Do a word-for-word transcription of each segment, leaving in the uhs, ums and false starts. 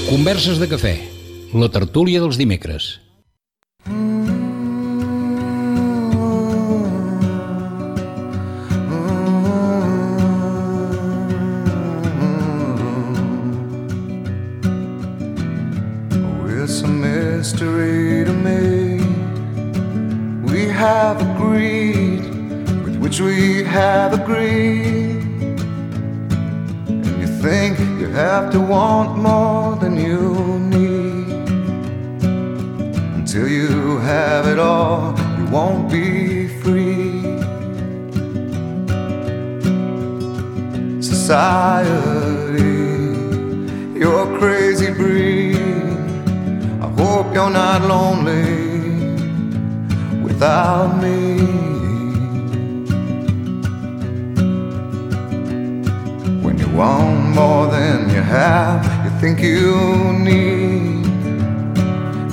Converses de cafè, la tertúlia dels dimecres. It's a mystery to me. We have agreed with which we have agreed. And you think you have to want more than you need. Until you have it all, you won't be free. Society, you're a crazy breed. I hope you're not lonely without me. When you want more than you have, you think you need.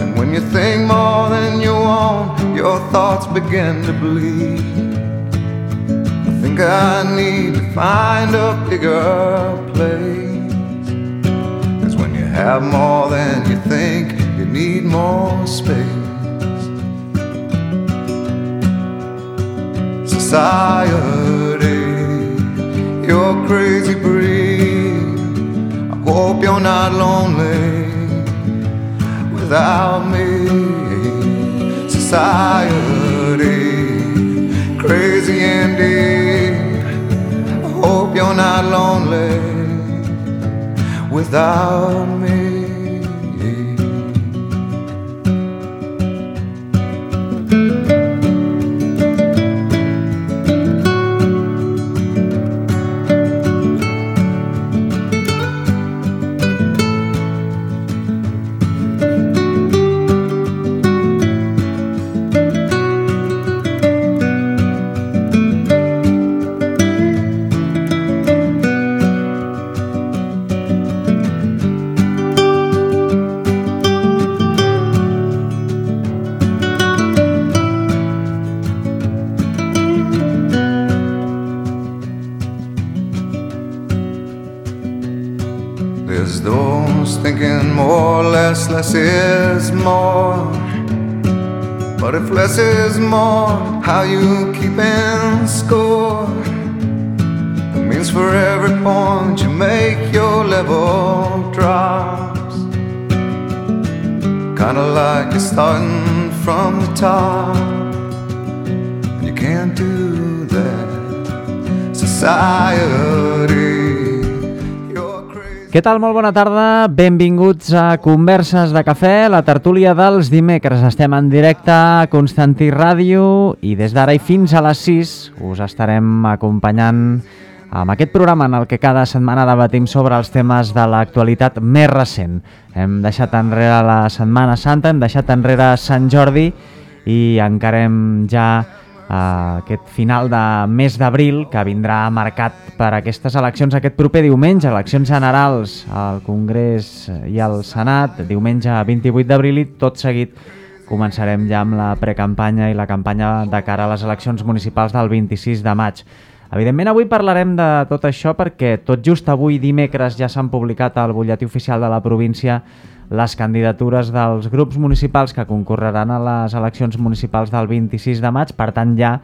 And when you think more than you want, your thoughts begin to bleed. I think I need to find a bigger place. 'Cause when you have more than you think, you need more space. Society, you're a crazy breed. I hope you're not lonely without me. Society, crazy indeed. I hope you're not lonely without me. There's those thinking more, less, less is more. But if less is more, how you keeping score? It means for every point you make, your level drops. Kinda like you're starting from the top. You can't do that. Society. Què tal? Molt bona tarda, benvinguts a Converses de Cafè, la tertúlia dels dimecres. Estem en directe a Constantí Ràdio i des d'ara i fins a les sis us estarem acompanyant amb aquest programa en el que cada setmana debatim sobre els temes de l'actualitat més recent. Hem deixat enrere la Setmana Santa, hem deixat enrere Sant Jordi i encarem ja Uh, aquest final de mes d'abril que vindrà marcat per aquestes eleccions aquest proper diumenge, eleccions generals al Congrés i al Senat, diumenge vint-i-vuit d'abril, i tot seguit començarem ja amb la precampanya i la campanya de cara a les eleccions municipals del vint-i-sis de maig. Evidentment avui parlarem de tot això perquè tot just avui dimecres ja s'han publicat al butlletí oficial de la província les candidatures dels grups municipals que concorreran a les eleccions municipals del vint-i-sis de maig. Per tant, ja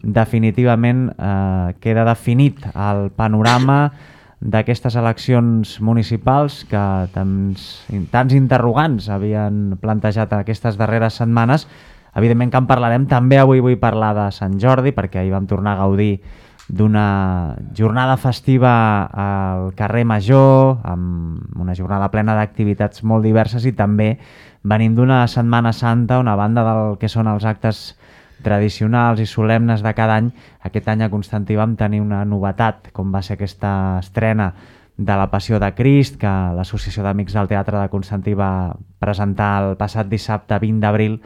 definitivament eh, queda definit el panorama d'aquestes eleccions municipals que tants, tants interrogants havien plantejat aquestes darreres setmanes. Evidentment que en parlarem. També avui vull parlar de Sant Jordi perquè ahir vam tornar a gaudir d'una jornada festiva al carrer Major, amb una jornada plena d'activitats molt diverses, i també venim d'una Setmana Santa on, a banda del que són els actes tradicionals i solemnes de cada any, aquest any a Constantí vam tenir una novetat, com va ser aquesta estrena de la Passió de Crist, que l'Associació d'Amics del Teatre de Constantí va presentar el passat dissabte vint d'abril,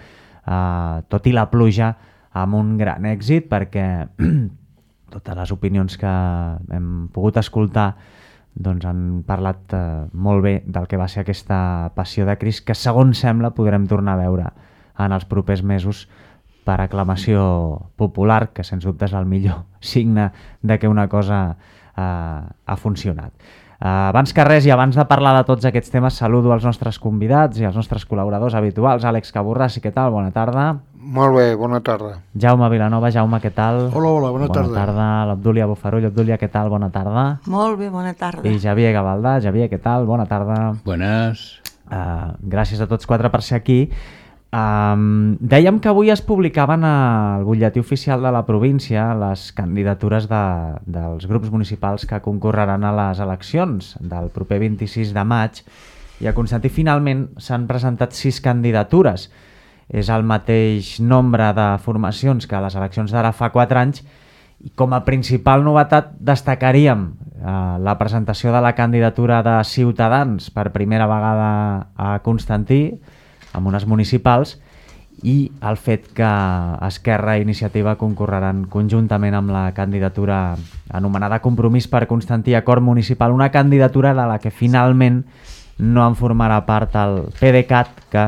eh, tot i la pluja, amb un gran èxit, perquè totes les opinions que hem pogut escoltar doncs han parlat eh, molt bé del que va ser aquesta passió de Crist, que segons sembla podrem tornar a veure en els propers mesos per aclamació popular, que sens dubte és el millor signe de que una cosa eh, ha funcionat. Eh, abans que res i abans de parlar de tots aquests temes, saludo els nostres convidats i els nostres col·laboradors habituals. Àlex Caborràs, què tal? Bona tarda. Molt bé, bona tarda. Jaume Vilanova, Jaume, què tal? Hola, hola, bona, bona tarda. Bona tarda. L'Abdúlia Bofarull, Abdúlia, què tal? Bona tarda. Molt bé, bona tarda. I Xavier Gavaldà, Xavier, què tal? Bona tarda. Buenas. Uh, gràcies a tots quatre per ser aquí. Um, dèiem que avui es publicaven al butlletí oficial de la província les candidatures de, dels grups municipals que concorreran a les eleccions del proper vint-i-sis de maig, i a Constantí finalment s'han presentat sis candidatures. És el mateix nombre de formacions que a les eleccions d'ara fa quatre anys, i com a principal novetat destacaríem eh, la presentació de la candidatura de Ciutadans per primera vegada a Constantí, amb unes municipals, i el fet que Esquerra i Iniciativa concorreran conjuntament amb la candidatura anomenada Compromís per Constantí Acord Municipal, una candidatura de la que finalment no en formarà part el PDeCAT, que,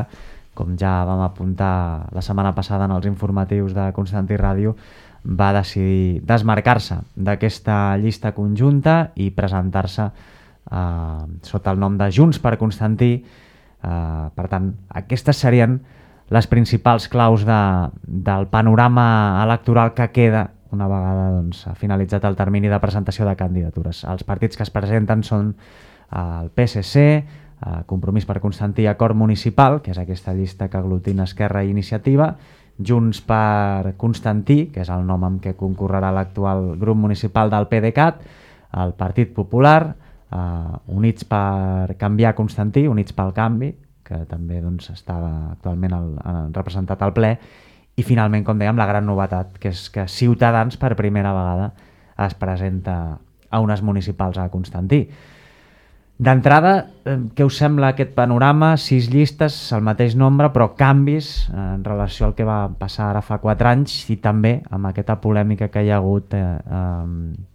com ja vam apuntar la setmana passada en els informatius de Constantí Ràdio, va decidir desmarcar-se d'aquesta llista conjunta i presentar-se eh, sota el nom de Junts per Constantí. Uh, per tant, aquestes serien les principals claus de, del panorama electoral que queda una vegada doncs, ha finalitzat el termini de presentació de candidatures. Els partits que es presenten són uh, el P S C, uh, Compromís per Constantí Acord Municipal, que és aquesta llista que aglutina Esquerra i Iniciativa, Junts per Constantí, que és el nom amb què concorrerà l'actual grup municipal del PDeCAT, el Partit Popular, Uh, Units per Canviar Constantí, Units pel Canvi, que també doncs, estava actualment el, el, representat al ple, i finalment, com dèiem, la gran novetat, que és que Ciutadans per primera vegada es presenta a unes municipals a Constantí. D'entrada, eh, què us sembla aquest panorama? Sis llistes, el mateix nombre, però canvis eh, en relació al que va passar ara fa quatre anys, i també amb aquesta polèmica que hi ha hagut eh, eh,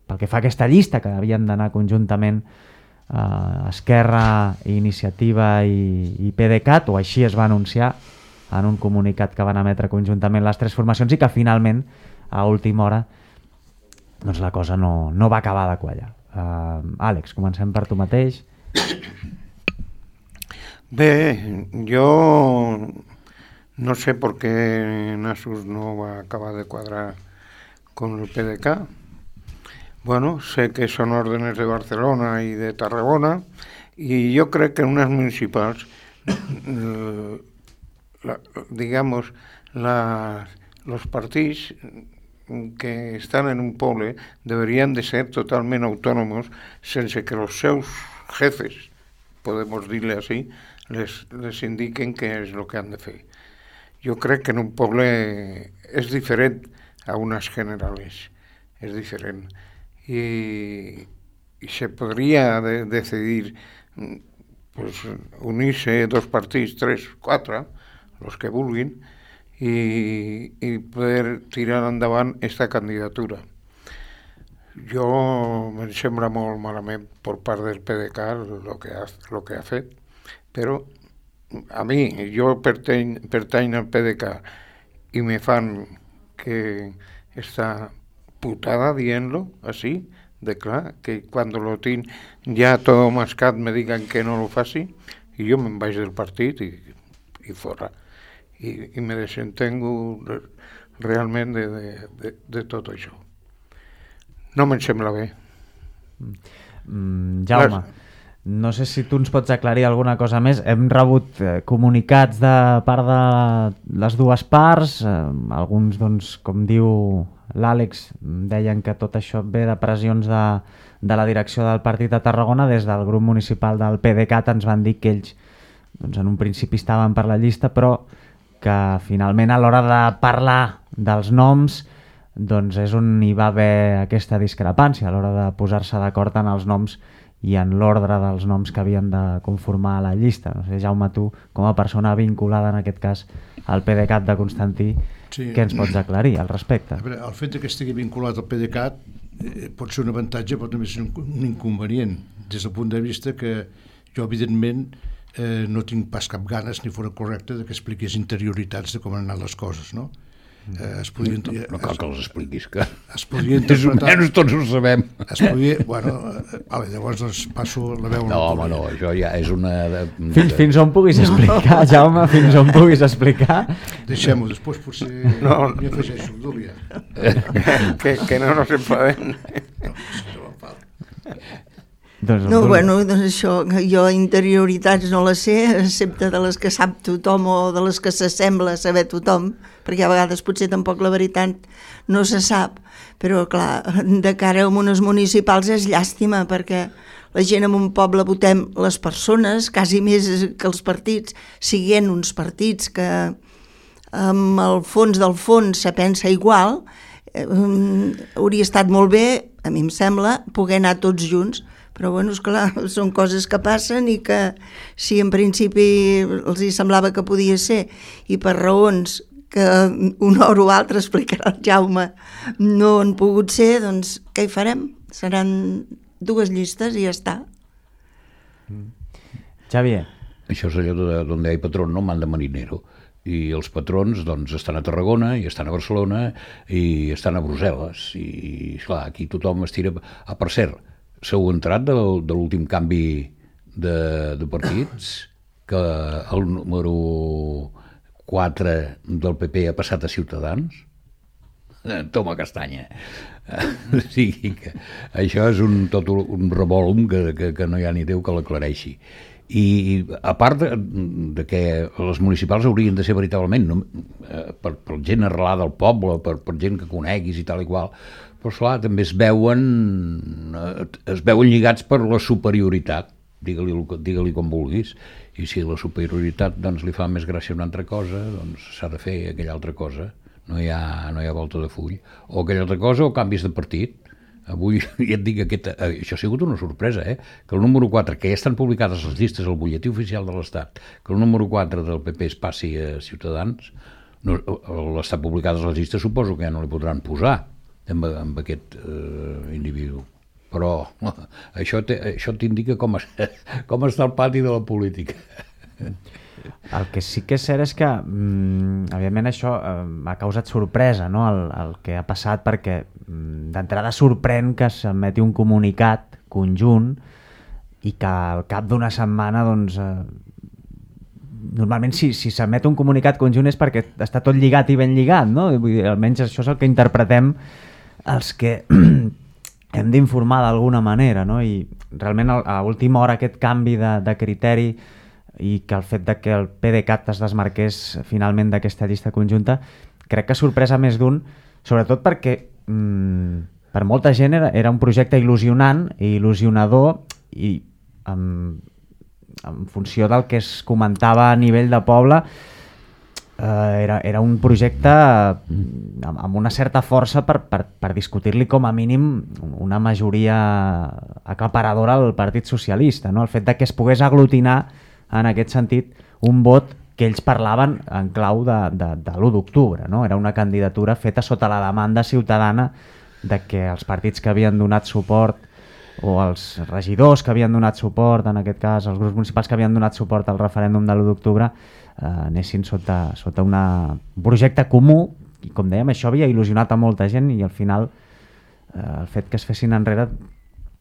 pel que fa a aquesta llista, que havien d'anar conjuntament eh, Esquerra, Iniciativa i, i PDeCAT, o així es va anunciar en un comunicat que van emetre conjuntament les tres formacions, i que finalment, a última hora, doncs la cosa no, no va acabar de quallar. Uh, Àlex, comencem per tu mateix. Bé, jo no sé per què Nasus no va acabar de quadrar con el PDeCAT. Bueno, sé que son órdenes de Barcelona y de Tarragona, y yo creo que en unas municipales, la, digamos, la, los partidos que están en un poble deberían de ser totalmente autónomos, sense que los seus jefes, podemos decirle así, les, les indiquen qué es lo que han de fer. Yo creo que en un poble es diferente a unas generales, es diferente. Y, y se podría de, decidir pues, unirse dos partidos, tres, cuatro, los que vulguin, y, y poder tirar endavant esta candidatura. Jo me'n sembla molt malament per part del PDeCAT el que ha, lo que ha fet, però a mi, jo pertany, pertany al PDeCAT i me fan que esta putada dient-lo así, de clar, que cuando lo tinc ja todo mascat me digan que no lo faci, i jo me'n vaig del partit i, i fora. I, i me desentengo realment de, de, de, de tot això. No me'n sembla bé. Mm, Jaume, no sé si tu ens pots aclarir alguna cosa més. Hem rebut eh, comunicats de part de les dues parts, eh, alguns, doncs, com diu l'Àlex, deien que tot això ve de pressions de, de la direcció del partit de Tarragona. Des del grup municipal del PDeCAT ens van dir que ells doncs, en un principi estaven per la llista, però que finalment a l'hora de parlar dels noms doncs és on hi va haver aquesta discrepància, a l'hora de posar-se d'acord en els noms i en l'ordre dels noms que havien de conformar la llista. No sé, Jaume, tu, com a persona vinculada en aquest cas al PDeCAT de Constantí, Sí. Què ens pots aclarir al respecte? A veure, el fet que estigui vinculat al PDeCAT eh, pot ser un avantatge, però també ser un, un inconvenient, des del punt de vista que jo, evidentment, eh, no tinc pas cap ganes, ni fora correcte, de que expliqués interioritats de com han anat les coses, no? Eh, es podria, no, no cal que els expliquis, que es podria interpretar... Més tots ho sabem. Es podria... Bueno, eh, vale, llavors doncs passo la veu... No, home, no, això ja és una... De, fins, fins on puguis explicar, Jaume, fins on puguis explicar. Deixem-ho, després potser no, m'hi afegeixo, Dúlia. que, que no nos enfadem. No, si no em fa. Doncs, No, bueno, doncs això, jo interioritats no les sé, excepte de les que sap tothom o de les que s'assembla a saber tothom, perquè a vegades potser tampoc la veritat no se sap, però clar, de cara a unes municipals és llàstima, perquè la gent en un poble votem les persones, quasi més que els partits, siguent uns partits que amb el fons del fons se pensa igual, eh, hauria estat molt bé, a mi em sembla, poder anar tots junts, però bueno, esclar, són coses que passen i que si en principi els hi semblava que podia ser i per raons que una hora o altra explicarà el Jaume no han pogut ser, doncs què hi farem? Seran dues llistes i ja està. Xavier. Això és allò de donde hay patrón no manda marinero, i els patrons doncs estan a Tarragona i estan a Barcelona i estan a Brussel·les i esclar, aquí tothom es tira... Ah, per cert, s'heu entrat de, de l'últim canvi de, de partits, que el número quatre del P P ha passat a Ciutadans? Toma castanya. O sigui que això és un, tot un revolum que, que, que no hi ha ni Déu que l'aclareixi. I a part de, de que les municipals haurien de ser veritablement no, per, per gent arrelada al poble, per, per gent que coneguis i tal i qual, però esclar, també es veuen es veuen lligats per la superioritat, digue-li, digue-li com vulguis, i si la superioritat doncs, li fa més gràcia una altra cosa, doncs s'ha de fer aquella altra cosa, no hi ha, no hi ha volta de full, o aquella altra cosa o canvis de partit. Avui ja et dic que aquest, això ha sigut una sorpresa, eh? Que el número quatre, que ja estan publicades les llistes al butlletí oficial de l'Estat, que el número quatre del P P es passi a Ciutadans, no, l'estat publicades les llistes suposo que ja no li podran posar amb, amb aquest eh, individu. Però això, te, això t'indica com, es, com està el pati de la política. El que sí que és cert és que, mm, evidentment, això eh, ha causat sorpresa, no?, el, el que ha passat, perquè mm, d'entrada sorprèn que s'emeti un comunicat conjunt i que al cap d'una setmana, doncs, eh, normalment si, si s'emet un comunicat conjunt és perquè està tot lligat i ben lligat, no? Vull dir, almenys això és el que interpretem els que hem d'informar d'alguna manera, no? I realment a última hora aquest canvi de, de criteri i que el fet de que el PDeCAT es desmarqués finalment d'aquesta llista conjunta crec que sorpresa més d'un, sobretot perquè mmm, per molta gent era, era un projecte il·lusionant i il·lusionador i en, en funció del que es comentava a nivell de poble eh, era, era un projecte amb, amb una certa força per, per, per discutir-li com a mínim una majoria aclaparadora al Partit Socialista, no? El fet de que es pogués aglutinar en aquest sentit, un vot que ells parlaven en clau de, de, de l'u d'octubre, no? Era una candidatura feta sota la demanda ciutadana de que els partits que havien donat suport o els regidors que havien donat suport, en aquest cas els grups municipals que havien donat suport al referèndum de l'u d'octubre, eh, anessin sota, sota una, un projecte comú i, com dèiem, això havia il·lusionat a molta gent i al final eh, el fet que es fessin enrere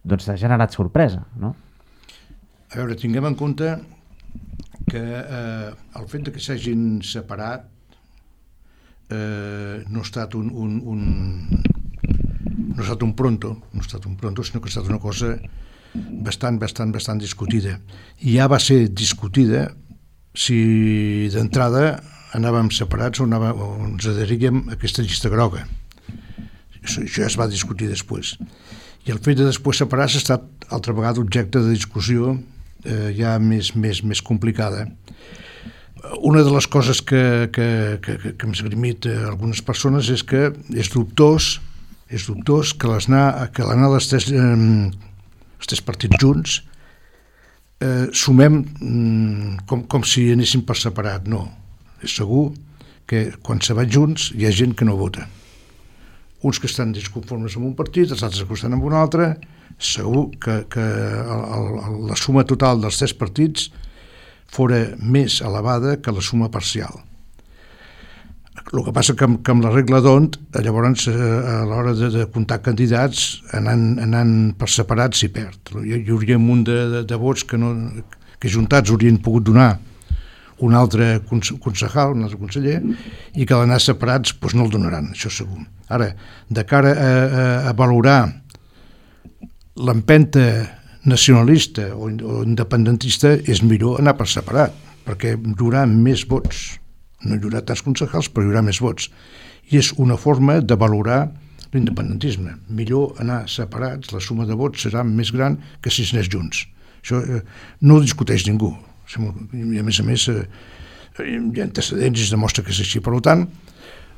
doncs ha generat sorpresa, no? A veure, tinguem en compte que eh, el fet de que s'hagin separat eh, no ha estat un, un, un no ha estat un pronto, no ha estat un pronto, sinó que ha estat una cosa bastant, bastant, bastant discutida. I ja va ser discutida si d'entrada anàvem separats o, anava, o ens adheríem a aquesta llista groga. Això, això ja es va discutir després. I el fet de després separar-se ha estat altra vegada objecte de discussió eh, ja més, més, més complicada. Una de les coses que, que, que, que hem esgrimit a algunes persones és que és dubtós, és dubtós que l'anar que l'anar dels tres, eh, els tres partits junts eh, sumem mm, com, com si anéssim per separat. No, és segur que quan se van junts hi ha gent que no vota. Uns que estan disconformes amb un partit, els altres que estan amb un altre. Segur que, que el, el, la suma total dels tres partits fora més elevada que la suma parcial. El que passa que amb, que amb la regla d'Hondt, llavors a l'hora de, de comptar candidats, anant, anant per separats s'hi perd. Hi, hi hauria un munt de, de, de vots que, no, que juntats haurien pogut donar un altre concejal, un altre conseller, i que d'anar separats doncs no el donaran, això segur. Ara, de cara a, a, a valorar l'empenta nacionalista o, o independentista, és millor anar per separat, perquè hi haurà més vots. No hi haurà tants concejals, però hi haurà més vots. I és una forma de valorar l'independentisme. Millor anar separats, la suma de vots serà més gran que si s'anés junts. Això eh, no ho discuteix ningú. I a més a més eh, hi ha antecedents i es demostra que és així. Per tant,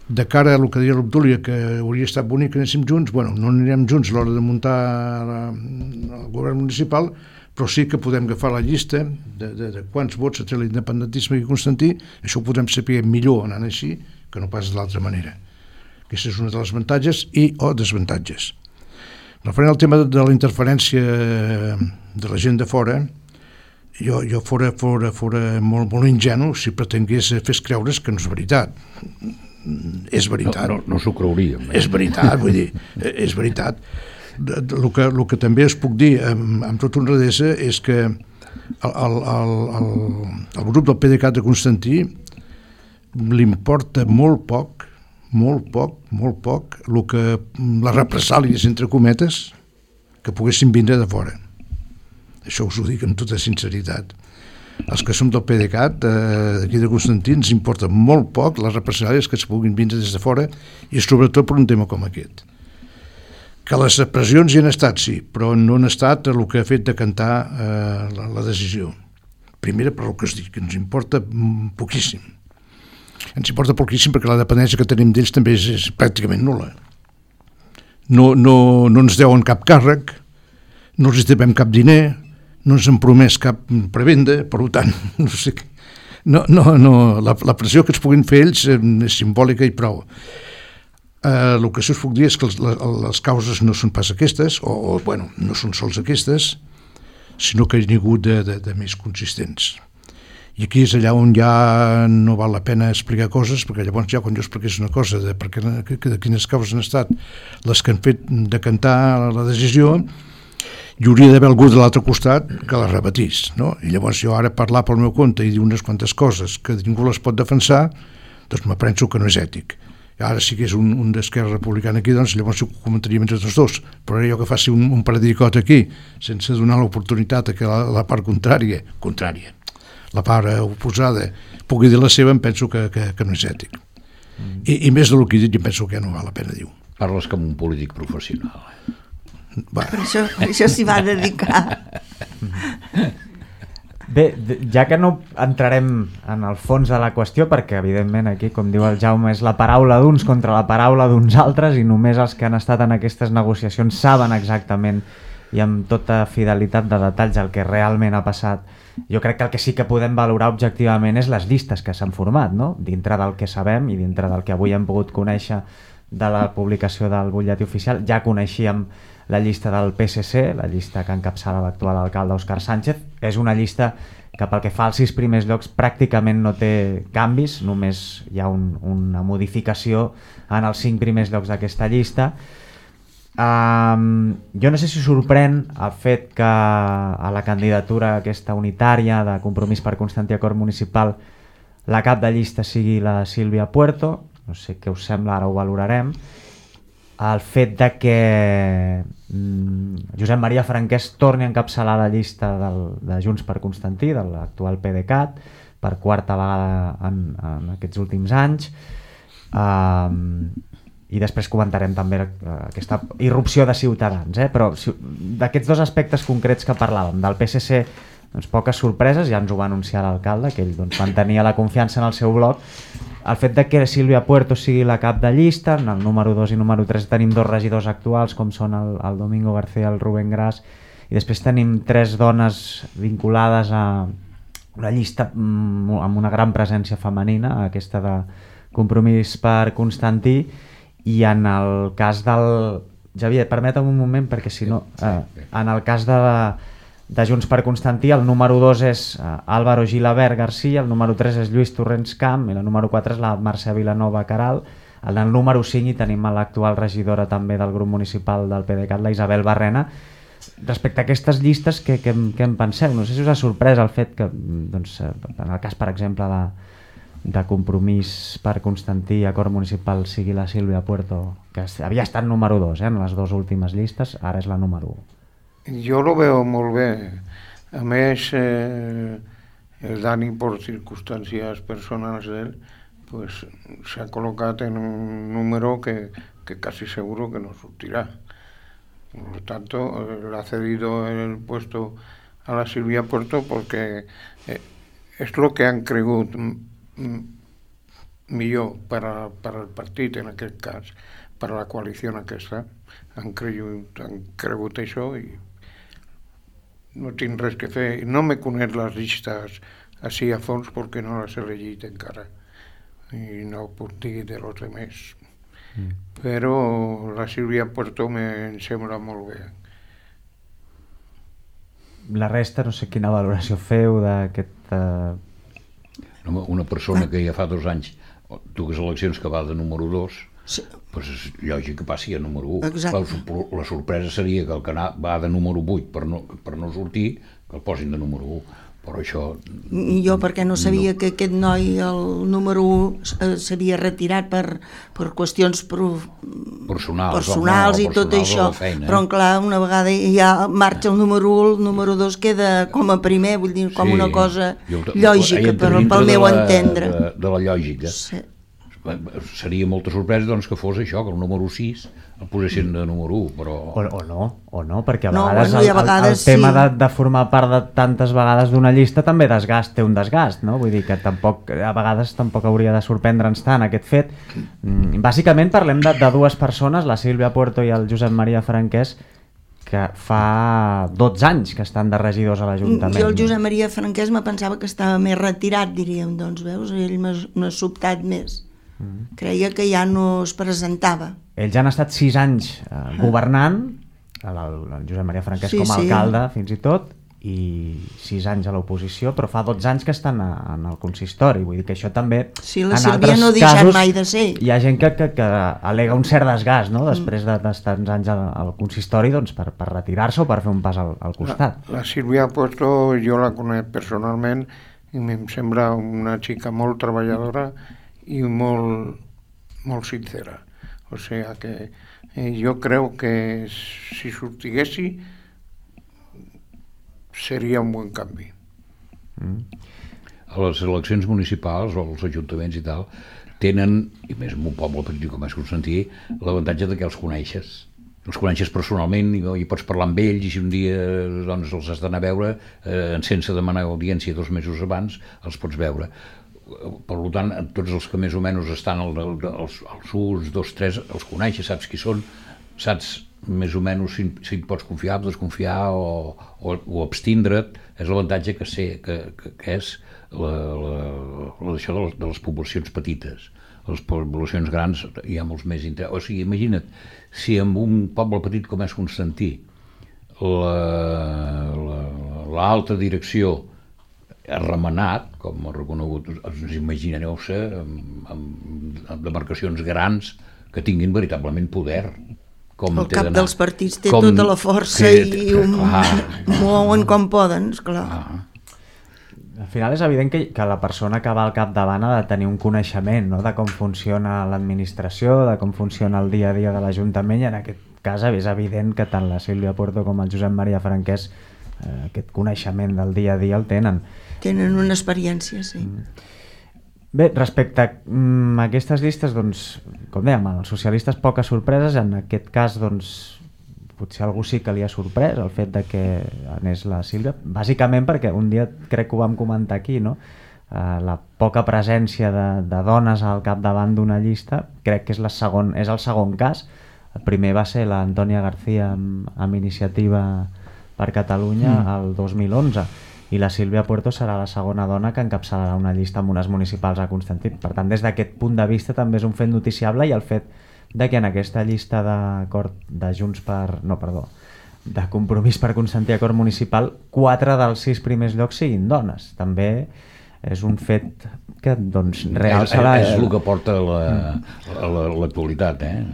de cara a el que deia l'Obdúlia, que hauria estat bonic que anéssim junts, bueno, no anirem junts a l'hora de muntar la, el govern municipal, però sí que podem agafar la llista de, de, de quants vots té l'independentisme i Constantí. Això ho podem saber millor anant així que no pas de l'altra manera. Aquesta és una de les avantatges i o desavantatges. Referent al tema de la interferència de la gent de fora, jo, jo fora, fora, fora molt, molt ingenu si pretengués fer creure's que no és veritat. És veritat. No, no, no s'ho creuríem. És veritat, vull dir, és veritat. El que, el que també us puc dir amb, amb tota honradesa és que el, el, el, el, el grup del P D Cat de Constantí li importa molt poc, molt poc, molt poc, el que, les represàlies, entre cometes, que poguessin vindre de fora. Això us ho dic amb tota sinceritat. Els que som del P D Cat, d'aquí de Constantí, ens importa molt poc les represàlies que es puguin vindre des de fora i sobretot per un tema com aquest. Que les pressions hi han estat, sí, però no han estat el que ha fet de cantar eh, la, la decisió. Primera, per el que es diu, que ens importa poquíssim. Ens importa poquíssim perquè la dependència que tenim d'ells també és, és pràcticament nul·la. No, no, no ens deuen cap càrrec, no els devem cap diner, no ens han promès cap prebenda, per tant, no sé què. No, no, no, la, la pressió que ens puguin fer ells és simbòlica i prou. Uh, el que sí us puc dir és que les, les causes no són pas aquestes, o, o bueno, no són sols aquestes, sinó que hi ha hagut de, de, de més consistents. I aquí és allà on ja no val la pena explicar coses, perquè llavors ja quan jo expliqués una cosa de, perquè, de quines causes han estat les que han fet decantar la decisió, hi hauria d'haver algú de l'altre costat que la repetís, no? I llavors jo ara parlar pel meu compte i dir unes quantes coses que ningú les pot defensar, doncs me penso que no és ètic. Ara sí que és un, un d'Esquerra Republicana aquí, doncs llavors ho comentaríem entre tots dos, però ara jo que faci un, un paradicot aquí sense donar l'oportunitat a que la, la part contrària, contrària, la part oposada pugui dir la seva, em penso que, que, que no és ètic. Mm. I, I més del que he dit, em penso que no val la pena dir-ho. Parles com un polític professional. Va. Per això, per això s'hi va dedicar. Bé, ja que no entrarem en el fons de la qüestió, perquè evidentment aquí, com diu el Jaume, és la paraula d'uns contra la paraula d'uns altres i només els que han estat en aquestes negociacions saben exactament i amb tota fidelitat de detalls el que realment ha passat. Jo crec que el que sí que podem valorar objectivament és les llistes que s'han format, no? Dintre del que sabem i dintre del que avui hem pogut conèixer de la publicació del butlletí oficial. Ja coneixíem la llista del P S C, la llista que encapçala l'actual alcalde Òscar Sánchez. És una llista que pel que fa als sis primers llocs pràcticament no té canvis, només hi ha un, una modificació en els cinc primers llocs d'aquesta llista. Um, jo no sé si sorprèn el fet que a la candidatura aquesta unitària de Compromís per Constantí Acord Municipal la cap de llista sigui la Sílvia Puerto. No sé què us sembla, ara ho valorarem. El fet de que mm, Josep Maria Franquès torni a encapçalar la llista del, de Junts per Constantí, de l'actual P D Cat, per quarta vegada en, en aquests últims anys. Um, I després comentarem també uh, aquesta irrupció de Ciutadans. Eh? Però si, d'aquests dos aspectes concrets que parlàvem, del P S C, doncs, poques sorpreses, ja ens ho va anunciar l'alcalde, que ell doncs, mantenia la confiança en el seu bloc. El fet de que Sílvia Puerto sigui la cap de llista, en el número dos i número tres tenim dos regidors actuals, com són el, el Domingo García i el Rubén Gras, i després tenim tres dones vinculades a una llista mm, amb una gran presència femenina, aquesta de Compromís per Constantí, i en el cas del... Javier, permeta'm un moment, perquè si no... Eh, en el cas de, de Junts per Constantí, el número dos és eh, Álvaro Gilabert García, el número tres és Lluís Torrents Camp, i la número quatre és la Mercè Vilanova Caral. En el número cinc hi tenim l'actual regidora també del grup municipal del PDeCAT, la Isabel Barrena. Respecte a aquestes llistes, què, què, què en penseu? No sé si us ha sorprès el fet que, doncs, en el cas, per exemple, de, de Compromís per Constantí i Acord Municipal sigui la Sílvia Puerto, que havia estat número dos eh, en les dues últimes llistes, ara és la número u. Jo lo veo molt bé. A més, eh, el Dani, per circumstàncies personals d'ell, pues, s'ha col·locat en un número que, que casi seguro que no sortirà. Por lo tanto, eh, le ha cedido el puesto a la Silvia Puerto porque eh, es lo que han cregut millor per, a, per al partit, en aquest cas, per a la coalició aquesta. Han cregut, han cregut això i no tinc res que fer. No me conec les llistes així a fons perquè no les he llegit encara i no puc dir de los demés. Mm. Però la Sílvia Puerto me em sembla molt bé. La resta, no sé quina valoració feu d'aquest... Uh... Una persona que ja fa dos anys dues eleccions que va de número dos, sí. Pues és lògic que passi a número u. La, la sorpresa seria que el que va de número vuit per no, per no sortir, que el posin de número u. Però això... Jo perquè no sabia no. que aquest noi, el número u, s'havia retirat per, per qüestions pro... personals, personals i tot això, feina, eh? Però clar, una vegada ja marxa el número u, el número dos queda com a primer, vull dir, com sí. una cosa jo, lògica per, pel meu la, entendre. De, de la lògica. Sí. Seria molta sorpresa doncs, que fos això, que el número sis el posessin de número u, però... O, o no, o no, perquè a no, vegades, bueno, el, a vegades el, el tema sí. de, de formar part de tantes vegades d'una llista també desgast, té un desgast, no? Vull dir que tampoc, a vegades tampoc hauria de sorprendre'ns tant aquest fet. Bàsicament parlem de, de dues persones, la Sílvia Puerto i el Josep Maria Franquès, que fa dotze anys que estan de regidors a l'Ajuntament. Jo el Josep Maria Franquès me pensava que estava més retirat, diríem, doncs veus, ell m'ha sobtat més. Mm. Creia que ja no es presentava. Ells han estat sis anys eh, governant, el, el Josep Maria Franquès sí, com a alcalde sí. fins i tot, i sis anys a l'oposició, però fa dotze anys que estan a, en el consistori, vull dir que això també... Sí, la Sílvia no ha deixat casos, mai de ser. Hi ha gent que, que, que al·lega un cert desgast, no?, després d'estar uns anys al, al consistori, doncs per, per retirar-se o per fer un pas al, al costat. La, la Sílvia Puerto jo la conec personalment i em sembla una xica molt treballadora i molt, molt sincera. O sigui que eh, jo crec que si sortiguessi seria un bon canvi. Mm. A les eleccions municipals o als ajuntaments i tal tenen, i més en un poble petit com és Constantí, l'avantatge de que els coneixes. Els coneixes personalment i, i pots parlar amb ells i si un dia doncs, els has d'anar a veure eh, sense demanar audiència dos mesos abans els pots veure. Per tant, tots els que més o menys estan al, als, als uns, dos, tres, els coneixes, saps qui són, saps més o menys si, si pots confiar, desconfiar o, o, o abstindre't. És l'avantatge que sé que, que, que és la, la, la, això de les, de les poblacions petites. Les poblacions grans hi ha molts més interès. O sigui, imagina't, si en un poble petit com és Constantí l'alta direcció ha remenat, com ha reconegut, us imagineu-se, amb, amb demarcacions grans que tinguin veritablement poder. Com el cap dels partits té com, tota la força que, i ho mouen com poden, esclar. Ah. Al final és evident que, que la persona que va al capdavant ha de tenir un coneixement, no?, de com funciona l'administració, de com funciona el dia a dia de l'Ajuntament, i en aquest cas és evident que tant la Sílvia Puerto com el Josep Maria Franquès eh, aquest coneixement del dia a dia el tenen. Tenen una experiència, sí. Bé, respecte a mm, aquestes llistes, doncs, com dèiem, els socialistes poques sorpreses, en aquest cas, doncs, potser algú sí que li ha sorprès el fet de que anés la Sílvia, bàsicament perquè un dia crec que ho vam comentar aquí, no? Uh, la poca presència de, de dones al capdavant d'una llista, crec que és, la segon, és el segon cas. El primer va ser l'Antònia García amb, amb Iniciativa per Catalunya mm. el dos mil onze. i la Sílvia Puerto serà la segona dona que encapçalarà una llista amb unes municipals a Constantí. Per tant, des d'aquest punt de vista també és un fet noticiable, i el fet de que en aquesta llista d'acord de Junts per... no, perdó, de Compromís per Constantí Acord Municipal, quatre dels sis primers llocs siguin dones. També és un fet que doncs realça la... És, és el que porta l'actualitat, eh?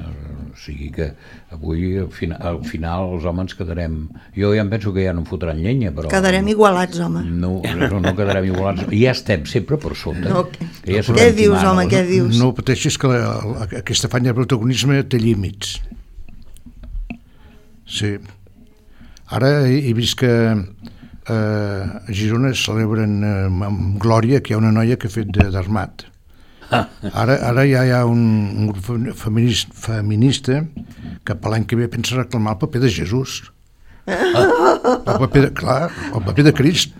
O sigui que avui al final, al final els homes quedarem... Jo ja em penso que ja no em fotran llenya, però... Quedarem igualats, home. No, no, no quedarem igualats. Ja estem sempre per sota. No, que ja què dius, mana, home, què dius? No pateixis que la, la, aquesta afany de protagonisme té límits. Sí. Ara he, he vist que eh, a Girona es celebren eh, amb glòria que hi ha una noia que ha fet d'armat. Ara, ara ja hi ha un, un grup feminista, feminista que per l'any que ve pensa reclamar el paper de Jesús. El paper de, clar, el paper de Crist.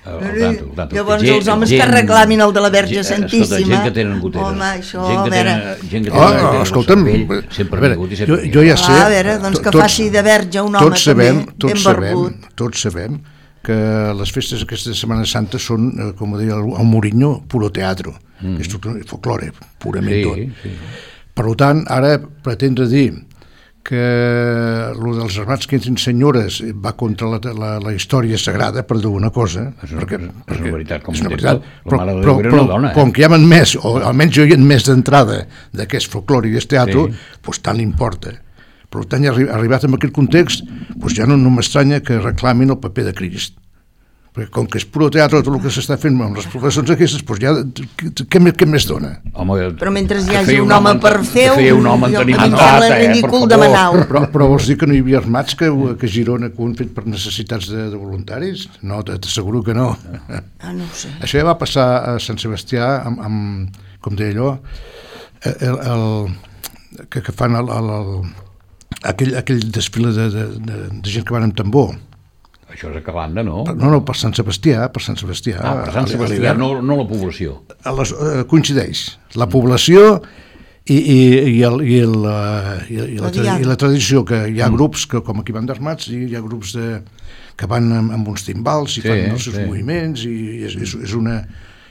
El, el tanto, el tanto. Llavors gent, els homes gent, que reclamin el de la Verge gent, Santíssima. Escolta, gent que tenen goteres. Home, això, gent que a veure... tenen, gent que tenen, Oh, que tenen escolta'm, cervell, sempre veure, vingut i sempre jo, jo ja sé, ah, a veure, doncs que tots, faci de verge un home tots sabem, també, tots ben sabem, barbut. tots sabem que les festes aquesta Setmana Santa són, eh, com deia el, el Mourinho, puro teatro, mm. és tot folklore, purament sí, tot. sí. Per tant, ara pretendre dir que el dels armats que entrin senyores va contra la, la, la història sagrada, per dir una cosa, És una, perquè, és perquè una veritat, com és una ho veritat, la però, Mare de però, Déu era però, una dona, eh? com que hi ha més, o almenys jo hi ha més d'entrada d'aquest folklore i d'aquest teatre, Sí. doncs tant importa. Per tant, ja arribat en aquest context, doncs ja no, no m'estranya que reclamin el paper de Crist. Perquè com que és puro teatre tot el que s'està fent amb les professors aquestes, doncs ja què, què més dona? Home, Però mentre hi que hagi feia un home en- per fer-ho, que feia un home en jo- tenim a mi em entrat, sembla eh, per ridícul favor. demanar-ho. Però, però vols dir que no hi havia armats que, que a Girona que ho han fet per necessitats de, de voluntaris? No, t'asseguro que no. Ah, no ho sé. Això ja va passar a Sant Sebastià amb, amb com deia allò, el, el, que, que fan el, el, el, aquell, aquell desfile de, de, de, de gent que van amb tambor. Això és a Calanda, no? No, no, per Sant Sebastià, per Sant Sebastià. Ah, per Sant a- a Sebastià, l'hivern. no, no la població. A les, eh, coincideix la població i, i, i, el, i, el, eh, i, i, la, La diada. i la tradició, que hi ha grups que com aquí van d'armats i hi ha grups de, que van amb, amb uns timbals i Sí, fan els seus sí. moviments i és, és, és una...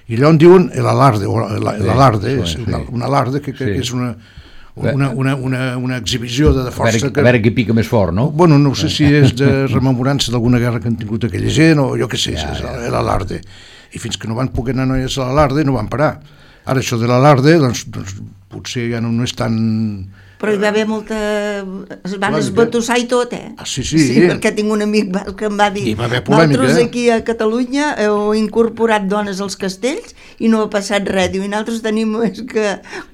I allò en diuen l'alarde, o la- l'alarde, Sí, és una, sí. una alarde que, que, Sí. que és una, una, una, una, una exhibició de, de A força veure, que... a veure qui pica més fort, no? Bueno, no sé si és de rememorança d'alguna guerra que han tingut aquella gent o jo què sé, ja, ja. Era l'alarde. I fins que no van poder anar noies a l'alarde no van parar. Ara això de l'alarde, doncs, doncs potser ja no, no és tan... Però hi va haver molta... Es van Polèmica. esbatussar i tot, eh? Ah, sí, sí. Sí, perquè tinc un amic basc que em va dir Hi va haver polèmica, nosaltres eh? aquí a Catalunya heu incorporat dones als castells i no ha passat res. Diu, i nosaltres tenim és que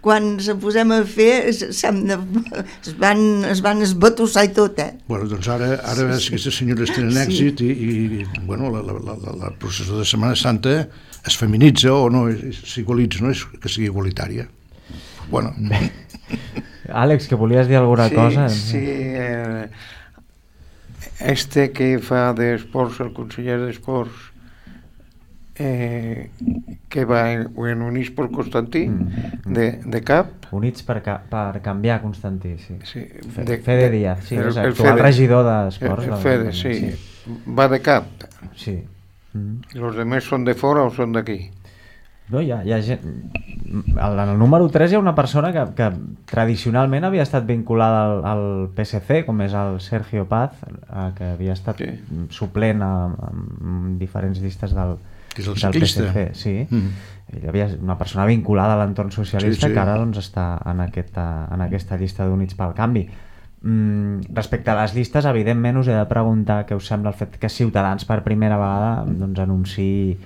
quan se posem a fer s'han de... es, van, es van esbatussar i tot, eh? Bueno, doncs ara, ara sí, sí. Aquestes senyores tenen Sí. èxit i, i bueno, la, la, la, la, la processó de Setmana Santa es feminitza o no, s'igualitza, no és que sigui igualitària. Bueno, Àlex, que volies dir alguna sí, cosa? Sí, eh, este que fa d'esports, el conseller d'esports, eh, que va en, en Units per Constantí, Mm. de, de cap, Units per, ca per canviar Constantí, sí. sí, Fe- de, Fede Díaz, sí, el- és el actual Fede. regidor d'esports. el, de el Fede, l'Ajuntament, sí, va de cap. Sí. Mm. Los demés són de fora o són d'aquí? No, hi ha, hi ha gent... En el número tres hi ha una persona que, que tradicionalment havia estat vinculada al, al P S C, com és el Sergio Paz, eh, que havia estat Sí. suplent a, a diferents llistes del, Que és el del ciclista. P S C. Sí. Mm. Hi havia una persona vinculada a l'entorn socialista Sí, sí. que ara doncs, està en aquesta, en aquesta llista d'Units pel Canvi. Mm, respecte a les llistes, evidentment us he de preguntar què us sembla el fet que Ciutadans per primera vegada doncs, anunciï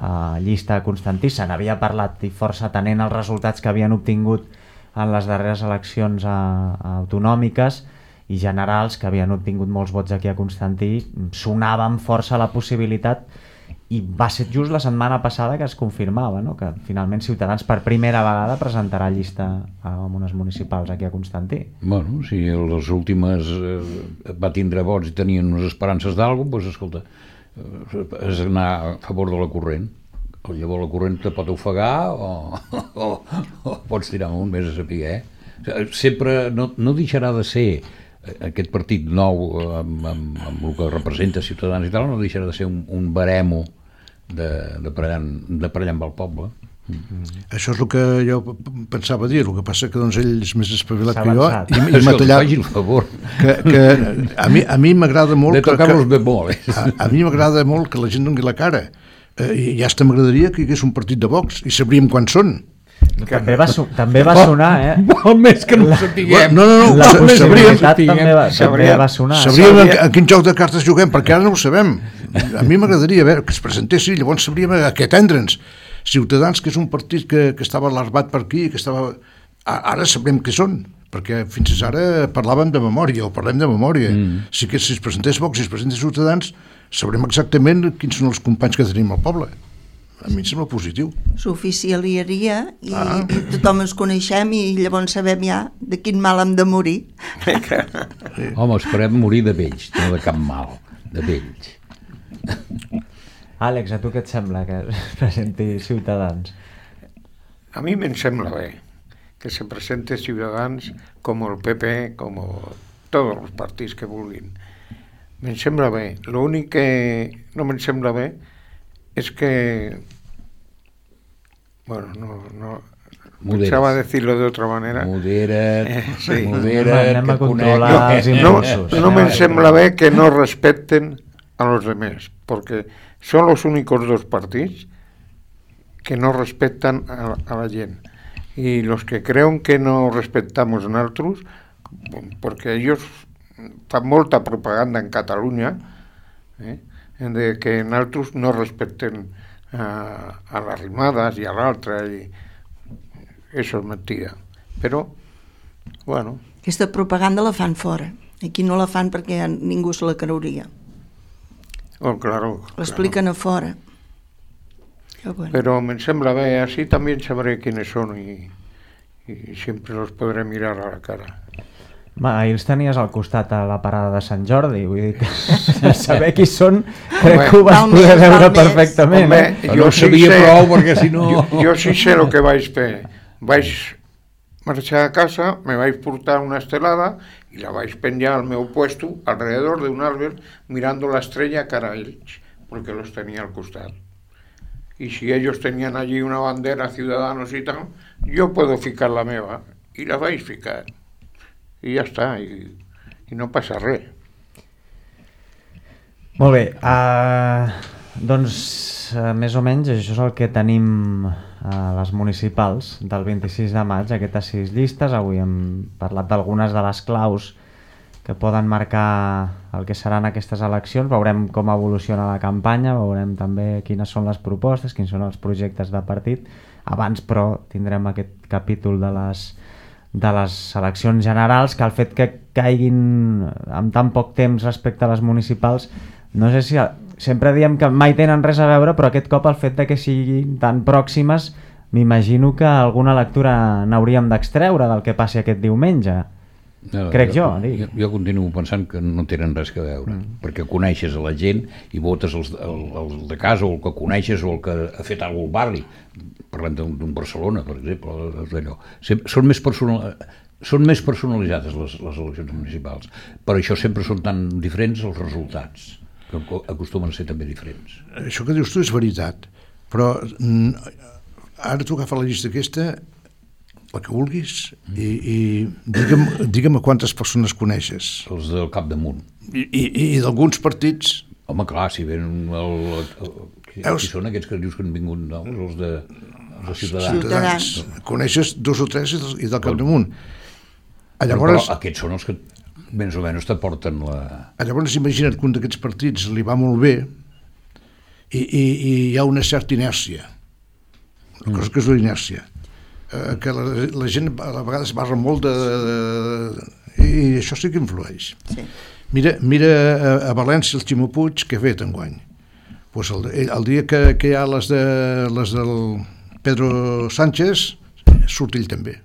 uh, llista a Constantí. Se n'havia parlat i força atenent els resultats que havien obtingut en les darreres eleccions a, a autonòmiques i generals, que havien obtingut molts vots aquí a Constantí. Sonava amb força la possibilitat i va ser just la setmana passada que es confirmava, no? Que finalment Ciutadans per primera vegada presentarà llista amb unes municipals aquí a Constantí. Bueno, si les últimes eh, va tindre vots i tenien unes esperances d'alguna cosa, doncs escolta, eh, és anar a favor de la corrent. Llavors la corrent te pot ofegar o, o, o pots tirar amunt, més a saber, eh? Sempre no, no deixarà de ser aquest partit nou amb, amb, amb el que representa Ciutadans i tal, no deixarà de ser un, un baremo de, de, per allà, de per allà amb el poble. Mm. Això és el que jo pensava dir, el que passa que doncs, ell és més espavilat que jo avançat. i, i m'ha tallat el favor. que, que a mi, a mi m'agrada molt de que, tocar que, los bemoles. a, a mi m'agrada molt que la gent doni la cara, eh, i ja hasta m'agradaria que hi hagués un partit de Vox i sabríem quan són. També va, so també va sonar, eh? Molt més que no ho sapiguem. No, no, no, La ho sabríem, possibilitat també va, també Sabríem. va sonar. sabríem en, en quin joc de cartes juguem, perquè ara no ho sabem. A mi m'agradaria veure que es presentessin, llavors sabríem a què atendre'ns. Ciutadans, que és un partit que, que estava alarmat per aquí, que estava... Ara sabrem què són, perquè fins ara parlàvem de memòria, o parlem de memòria. Mm. Si, que, si es presentés Vox, si es presentés Ciutadans, sabrem exactament quins són els companys que tenim al poble. A mi em sembla positiu. S'oficialiaria i, Ah. i tothom ens coneixem i llavors sabem ja de quin mal hem de morir. Home, esperem morir de vells, no de cap mal, de vells. Àlex, a tu què et sembla que es presenti Ciutadans? A mí me sembla bé que se presente Ciudadanos como el P P, como todos los partits que vulguin. Me sembla bé. Lo únic que no me sembla bé és que... Bueno, no... no Moderes. pensaba decirlo de otra manera. Modera't, Eh, sí. modera't, Anem a que controlar conec- els No, impulsos. no me sembla bé que no respeten a los demás, porque son los únicos dos partidos que no respetan a, a la gent. Y los que creuen que no respetamos nosaltres, porque ellos fan molta propaganda en Catalunya, eh, de que nosaltres no respeten a, a les rimades i a l'altra, i això és mentida. Però, bueno... Aquesta propaganda la fan fora. Aquí no la fan perquè ningú se la creuria. Oh, claro, L'expliquen a fora. Però bueno. Pero me sembla bé, así también sabré quiénes son y, y siempre los podré mirar a la cara. Ma, ahir els tenies al costat a la parada de Sant Jordi, vull dir que saber qui són crec que ho vas Val poder més, veure val més. perfectament. Home, Eh? Però no ho sabia prou, perquè si no... Yo, yo sí sé lo que vais a fer. Vais marxar a casa, me vais a portar una estelada y la vais a penjar al meu puesto alrededor de un árbol mirando la estrella cara a ells, porque los tenía al costat. Y si ellos tenían allí una bandera Ciudadanos y tal, yo puedo ficar la meva y la vais a ficar. Y ya está, y, y no passa res. Molt bé, uh, doncs uh, més o menys això és el que tenim a les municipals del vint-i-sis de maig, aquestes sis llistes. Avui hem parlat d'algunes de les claus que poden marcar el que seran aquestes eleccions. Veurem com evoluciona la campanya, veurem també quines són les propostes, quins són els projectes de partit. Abans, però, tindrem aquest capítol de les, de les eleccions generals, que el fet que caiguin amb tan poc temps respecte a les municipals, no sé si... Sempre diem que mai tenen res a veure, però aquest cop el fet de que siguin tan pròximes, m'imagino que alguna lectura n'hauríem d'extreure del que passi aquest diumenge. No, Crec jo, jo, dic. jo, jo continuo pensant que no tenen res a veure, mm. perquè coneixes a la gent i votes els, el, el de casa, o el que coneixes, o el que ha fet alguna al barri. Parlem d'un, d'un Barcelona, per exemple, d'allò. Són més personal, són més personalitzades les, les eleccions municipals, per això sempre són tan diferents els resultats, que acostumen a ser també diferents. Això que dius tu és veritat, però mm, ara tu agafa la llista aquesta, la que vulguis, i, i digue'm, digue'm a quantes persones coneixes. Els del capdamunt. I, i, i d'alguns partits... Home, clar, si ven el, el, el, qui, qui són aquests que dius que han vingut, no? Els de, els de Ciutadans. Ciutadans. Coneixes dos o tres i del, i del capdamunt. Però, Llavors, però aquests són els que més o menys te porten la... llavors imagina't que un d'aquests partits li va molt bé i, i, i hi ha una certa inèrcia. Una cosa que és la inèrcia. Eh, que la, la gent a vegades barra molt de, de, de... i això sí que influeix. Sí. Mira, mira a, a València el Ximo Puig que ha fet enguany. Pues el, el dia que, que hi ha les, de, les del Pedro Sánchez surt ell també.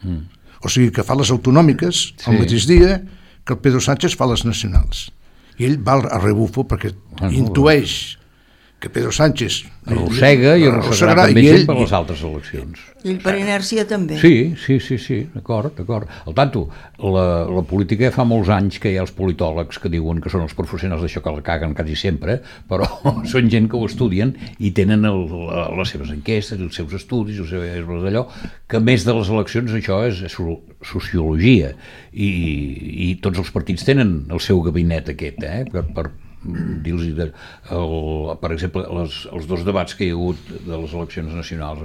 Mm. O sigui que fa les autonòmiques sí. El mateix dia que el Pedro Sánchez fa les nacionals. I ell va a rebufo perquè Ah, no, intueix que Pedro Sánchez arrossega i arrossegarà també i ell, sempre les altres eleccions. I ell per inèrcia també. Sí, sí, sí, sí, d'acord, d'acord. Al tanto, la, la política fa molts anys que hi ha els politòlegs que diuen que són els professionals d'això que la caguen quasi sempre, però són gent que ho estudien i tenen el, la, les seves enquestes, els seus estudis, els seus d'allò, que a més de les eleccions això és sociologia i, i tots els partits tenen el seu gabinet aquest, eh, per, per dir-los, de, el, per exemple, les, els dos debats que hi ha hagut de les eleccions nacionals,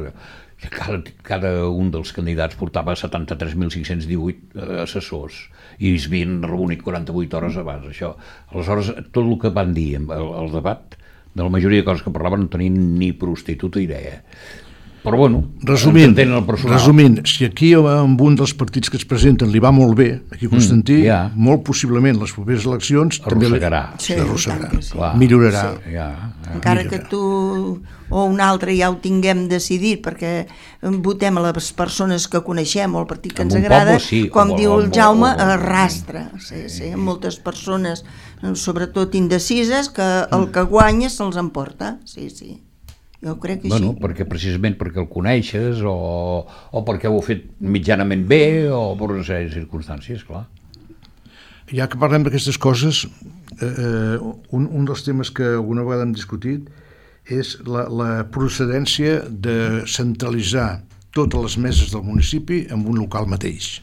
cada, cada un dels candidats portava setanta-tres mil cinc-cents divuit assessors i es havien reunit quaranta-vuit hores abans. Això. Aleshores, tot el que van dir el, el debat, de la majoria de coses que parlaven, no tenien ni prostituta idea. Però bueno, resumint, resumint, si aquí amb un dels partits que es presenten li va molt bé, aquí Constantí, mm, yeah. molt possiblement les properes eleccions arrossegarà, sí, arrossegarà. Sí. Millorarà. Sí. Yeah, yeah. Encara millorarà. Que tu o un altre ja ho tinguem decidit, perquè votem a les persones que coneixem o el partit que ens agrada, poble, sí, com diu el Jaume, arrastra. Sí, sí, moltes persones, sobretot indecises, que el que guanya se'ls emporta. Sí, sí. Jo crec que bueno, sí. Perquè precisament perquè el coneixes o, o perquè ho ha fet mitjanament bé o per una sèrie de circumstàncies, clar. Ja que parlem d'aquestes coses, eh, un, un dels temes que alguna vegada hem discutit és la, la procedència de centralitzar totes les meses del municipi en un local mateix.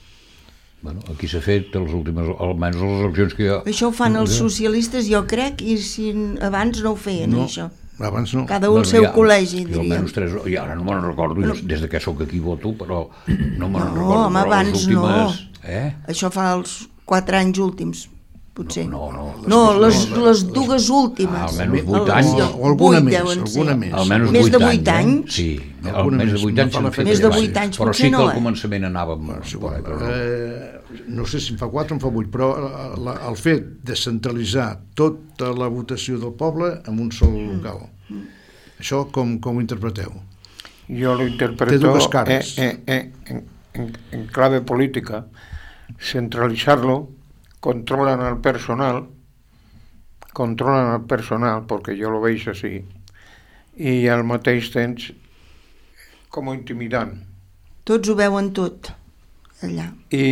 Bueno, aquí s'ha fet les últimes, almenys les eleccions que hi ha... Això ho fan els socialistes, jo crec, i si abans no ho feien, no. això. Abans no. Cada un el bueno, seu ja, col·legi, diríem. Tres, i ara no me'n recordo, no. Des de que sóc aquí voto, però no me'n no, recordo. Home, abans les últimes, no. Eh? Això fa els quatre anys últims, potser. No, no, no. Les, no, les, les, les dues últimes. Ah, almenys vuit anys. O, o alguna més, alguna més. Almenys més de vuit anys. anys. Sí, almenys de vuit anys. Més de vuit anys, però potser sí que no, al començament anàvem... No sé si em fa quatre o em fa vuit, però el fet de centralitzar tota la votació del poble en un sol local. Això com, com ho interpreteu? Jo lo interpreto eh, eh, eh, en, en, en clave política. Centralizarlo, controlan al personal, controlan al personal, porque yo lo veis así, i al mateix temps com intimidant. Tots ho veuen tot, allà. I,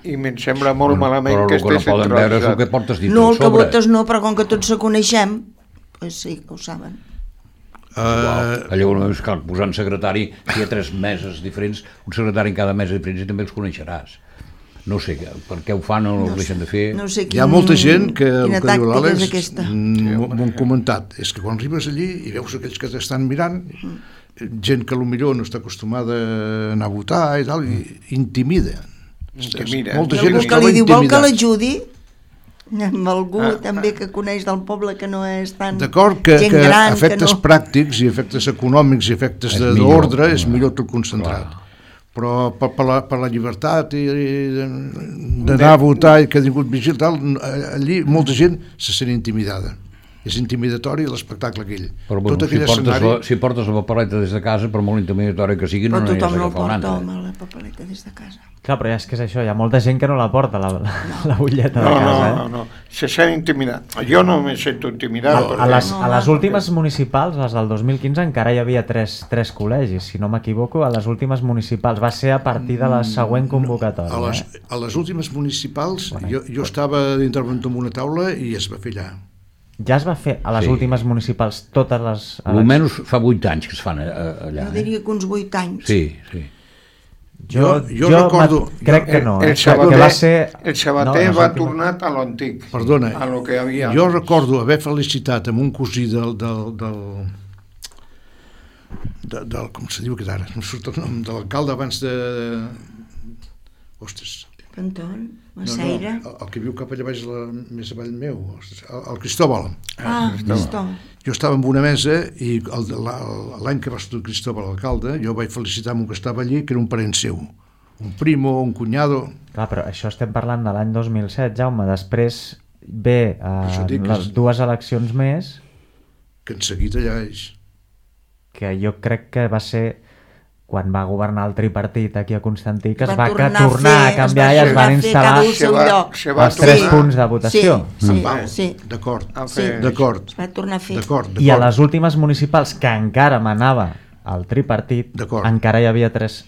i me'n sembla molt bueno, malament que estigui centralitzat. Però el que no poden veure és el que portes dit no, al sobre. No, el que votes no, però com que tots se coneixem, pues sí, ho saben. Uh, allò és clar, posant secretari hi ha tres meses diferents, un secretari en cada mesa diferent i també els coneixeràs. No sé per què ho fan o no, no ho deixen de fer. No sé quin, hi ha molta gent que el que diu l'Àlex m'ho han comentat, és que quan arribes allí i veus aquells que t'estan mirant, gent que potser no està acostumada a anar a votar i tal, i intimida. Intimida. Molta gent es troba intimidada. Vol que l'ajudi? Amb algú ah, també que coneix del poble que no és tan d'acord que, gent que gran efectes que no... pràctics i efectes econòmics i efectes d'ordre és millor tot concentrat, clar. Però per, per, la, per la llibertat i, i d'anar a votar i que ha tingut vigil tal, allí molta gent se sent intimidada, és intimidatori l'espectacle aquell. Però bueno, tot si, portes escenari... la, si portes la papeleta des de casa, per molt intimidatori que sigui, però no n'hi has d'agafar no una altra. Però tothom no porta, home, la papeleta des de casa. Clar, però ja és que és això, hi ha molta gent que no la porta, la, la, la butlleta no, de casa. No, no, no, se sent intimidat. Jo no me sento intimidat. A, a, les, a les últimes municipals, les del dos mil quinze, encara hi havia tres, tres col·legis, si no m'equivoco, a les últimes municipals. Va ser a partir de la següent convocatòria. A les, eh? a les últimes municipals, bueno, jo, jo estava d'interventor en una taula i es va fer allà. Ja es va fer a les sí. últimes municipals totes les... Almenys fa vuit anys que es fan allà. Jo diria que uns vuit anys. Sí, sí. Jo, jo, jo recordo... Crec que no. El, el Sabater, que va ser... el Sabater no, va tornar a l'antic. Perdona, a lo que havia. Jo recordo haver felicitat amb un cosí del... del, del, del, del com se diu que ara? No surt el nom de l'alcalde abans de... Ostres... Canton, Maceira... No, no, el que viu cap allà baix, la, més avall meu, el, el Cristóbal. Ah, Cristóbal. Jo estava en una mesa i l'any que va estar Cristóbal l'alcalde, jo vaig felicitar amb un que estava allí, que era un parent seu, un primo, un cunyado... Clar, però això estem parlant de l'any dos mil set, Jaume, després ve eh, les dues eleccions més... Que en seguit allà és... Que jo crec que va ser quan va governar el tripartit aquí a Constantí, que es Va va tornar que tornar a a fer- canviar es i va es van tornar a fer instal·lar cada un al seu Se va- lloc. se va els tres tornar- punts de votació. Sí, sí, Val. sí. D'acord, a fer- d'acord, Es va tornar a fer. d'acord, I a d'acord. les últimes municipals, que encara manava el tripartit, D'acord. encara hi havia tres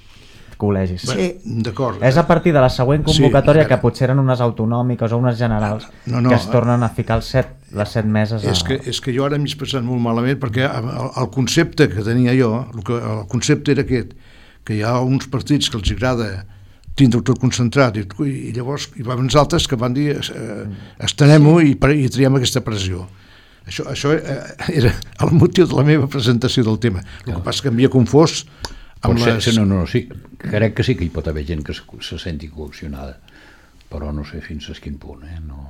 col·legis. Sí. D'acord. És a partir de la següent convocatòria Sí, a que veure. potser eren unes autonòmiques o unes generals No, no, que es tornen a ficar els set, les set meses a... És que, és que jo ara m'he expressat molt malament perquè el, el concepte que tenia jo, el, que, el concepte era aquest, que hi ha uns partits que els agrada tindre-ho tot concentrat i, i llavors hi va haver uns altres que van dir eh, estenem-ho i, i triem aquesta pressió. Això, això era el motiu de la meva presentació del tema. El que passa que m'havia confós amb Pot ser, les... sí, no, no, sí, crec que sí que hi pot haver gent que se, se senti coaccionada, però no sé fins a quin punt, eh? No...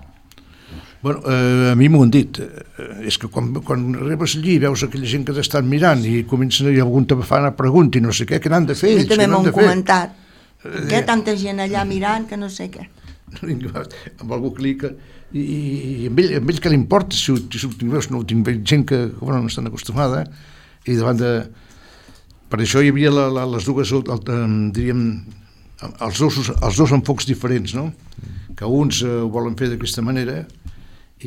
Bueno, eh, a mi m'ho han dit. Eh, és que quan, quan arribes allí i veus aquella gent que t'estan mirant i comencen i algun te fa una pregunta i no sé què, què n'han de fer A mi ells? també Què n'han m'ho de han fer? comentat. Eh, Què tanta gent allà mirant que no sé què. Amb algú que li... Que, i, i amb, ell, amb ell que li importa si ho, si ho tinc veus, no ho tinc gent que bueno, no estan acostumada i davant de... Per això hi havia la, la, les dues, el, el, diríem, els dos, els dos enfocs diferents, no? Que uns eh, ho volen fer d'aquesta manera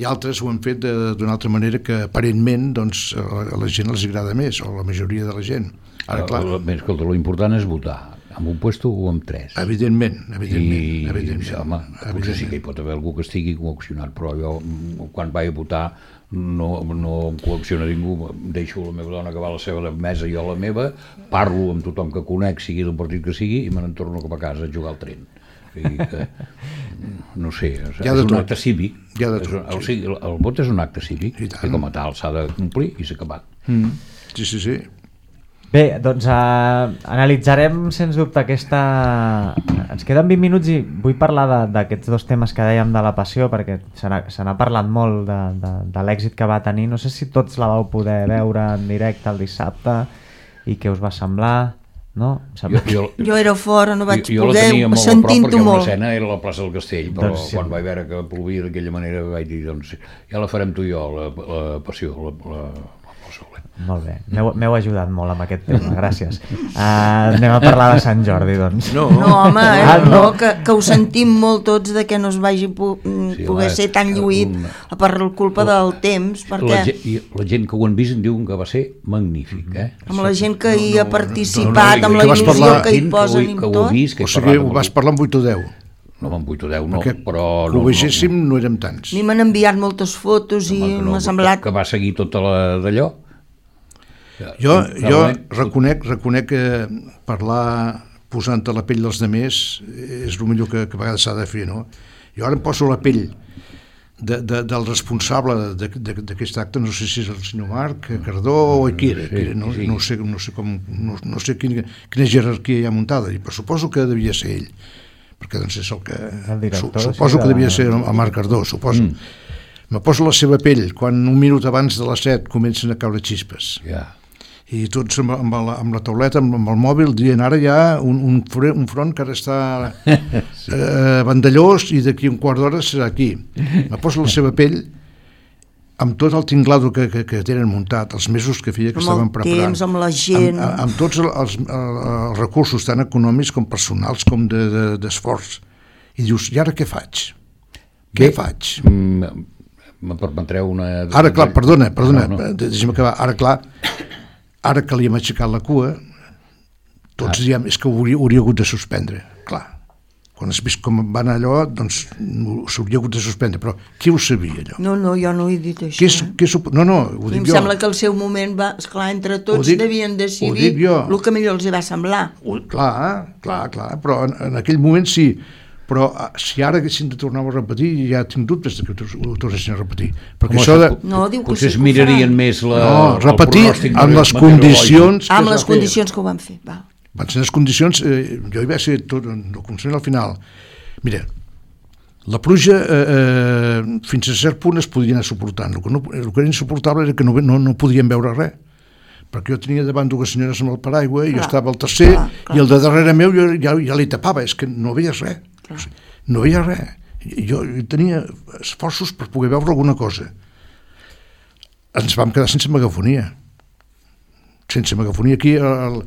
i altres ho han fet d'una altra manera que aparentment doncs, a la gent els agrada més, o la majoria de la gent. Ara, clar, Escolta, l'important és votar, amb un puesto o amb tres. evidentment, evidentment, I, evidentment, home, potser sí que hi pot haver algú que estigui coaccionat, però jo, quan vaig a votar, no, no em coacciona ningú, deixo la meva dona que va a la seva mesa i jo a la meva, parlo amb tothom que conec, sigui del partit que sigui, i me n'entorno cap a casa a jugar al tren. O sigui que, no sé, és, Hi ha de és un tot. acte cívic. Hi ha de És tot, un- o sí. sigui, el, el vot és un acte cívic, I i tant. com a tal s'ha de complir i s'ha acabat. Mm. Sí, sí, sí. Bé, doncs uh, analitzarem sens dubte aquesta... Ens queden vint minuts i vull parlar d'aquests dos temes que dèiem de la passió, perquè se n'ha se n'ha parlat molt de, de, de l'èxit que va tenir. No sé si tots la vau poder veure en directe el dissabte i què us va semblar, no? Em Jo, jo, Jo era fora, no vaig jo, jo la poder, tenia molt a prop sentint-ho perquè molt. l'escena era a la plaça del Castell, però Doncs sí. quan vaig veure que plovia d'aquella manera vaig dir, doncs ja la farem tu i jo, la, la passió, la, la, la passió. Molt bé, m'heu m'heu ajudat molt amb aquest tema, gràcies. Uh, anem a parlar de Sant Jordi, doncs. No, No, home, eh? Ah, no. no, que, que ho sentim molt tots de que no es vagi pu Sí, sí, poder home, ser tan lluït un- per culpa del temps, La, perquè gent, i la gent que ho han vist em diuen que va ser magnífic, eh? amb la gent que hi ha participat, no, no, amb que la vas il·lusió parlar- que hi Gent posen ho, i que ho tot, ha vist, que o he sigui, parlat amb vas el- parlar amb vuit o deu. No amb vuit o deu, no, Perquè però... que No, ho veiéssim no, no érem tants. a mi m'han enviat moltes fotos i no, no, m'ha semblat... Que, que va seguir tota la d'allò. Jo, jo Realment, reconec, reconec que parlar posant a la pell dels demés és el millor que, que a vegades s'ha de fer, no? Jo ara em poso a la pell de, de, del responsable de- de- d'aquest acte, no sé si és el senyor Marc Cardó o qui era, Sí, qui era no, sí. no sé, no sé, com, no, no sé quina, quina jerarquia hi ha muntada, i però suposo que devia ser ell, perquè doncs és el que... El director, su, suposo sí, que de- devia ser el Marc Cardó, suposo. Mm. Me poso a la seva pell quan un minut abans de les set comencen a caure xispes ja. i tots amb, amb, la, amb la tauleta, amb, amb el mòbil, dient ara hi ha un, un, fre- un front que ara està sí. eh, vandellós i d'aquí un quart d'hora serà aquí. Me poso la seva pell amb tot el tinglado que, que, que tenen muntat, els mesos que feia que Amb el estaven preparant. temps, amb la gent. Amb, amb tots els, els, els recursos tant econòmics com personals com d'esforç. De, de, I dius, i ara què faig? Què Bé, faig? Mm, me permetreu una... Ara, clar, perdona, perdona, No, no. deixa'm acabar. Ara, clar, ara que li hem aixecat la cua, tots ah. diem, és que ho hauria, hauria hagut de suspendre. Clar, quan has vist com va anar allò, doncs s'hauria hagut de suspendre, però qui ho sabia, allò? No, no, jo no he dit això. Què és, eh? què és, no, no, ho I dic em jo. sembla que al seu moment va, esclar, entre tots Ho dic- devien ho decidir dic jo. el que millor els hi va semblar. Ho, clar, clar, clar, però en, en aquell moment sí, però ah, si ara haguessin de tornar a repetir, ja tinc dubtes de que ho, ho tornessin a repetir, perquè Home, això de... No, diu que potser sí es que ho mirarien faran. més la, No, el repetir pronòstic amb les meteorològic. condicions que Amb es va les fer. condicions que ho van fer, va. Van ser les condicions, eh, jo hi vaig ser tot, no començament al final. Mira, la pluja eh, eh, fins a cert punt es podia anar suportant. El que, no, el que era insuportable era que no, no, no podíem veure res, perquè jo tenia davant dues senyores amb el paraigua i jo Clar, estava al tercer clar, clar. i el de darrere meu jo ja, ja li tapava, és que no veies res. Clar. No veia res. Jo, jo tenia esforços per poder veure alguna cosa. Ens vam quedar sense megafonia. Sense megafonia aquí, el,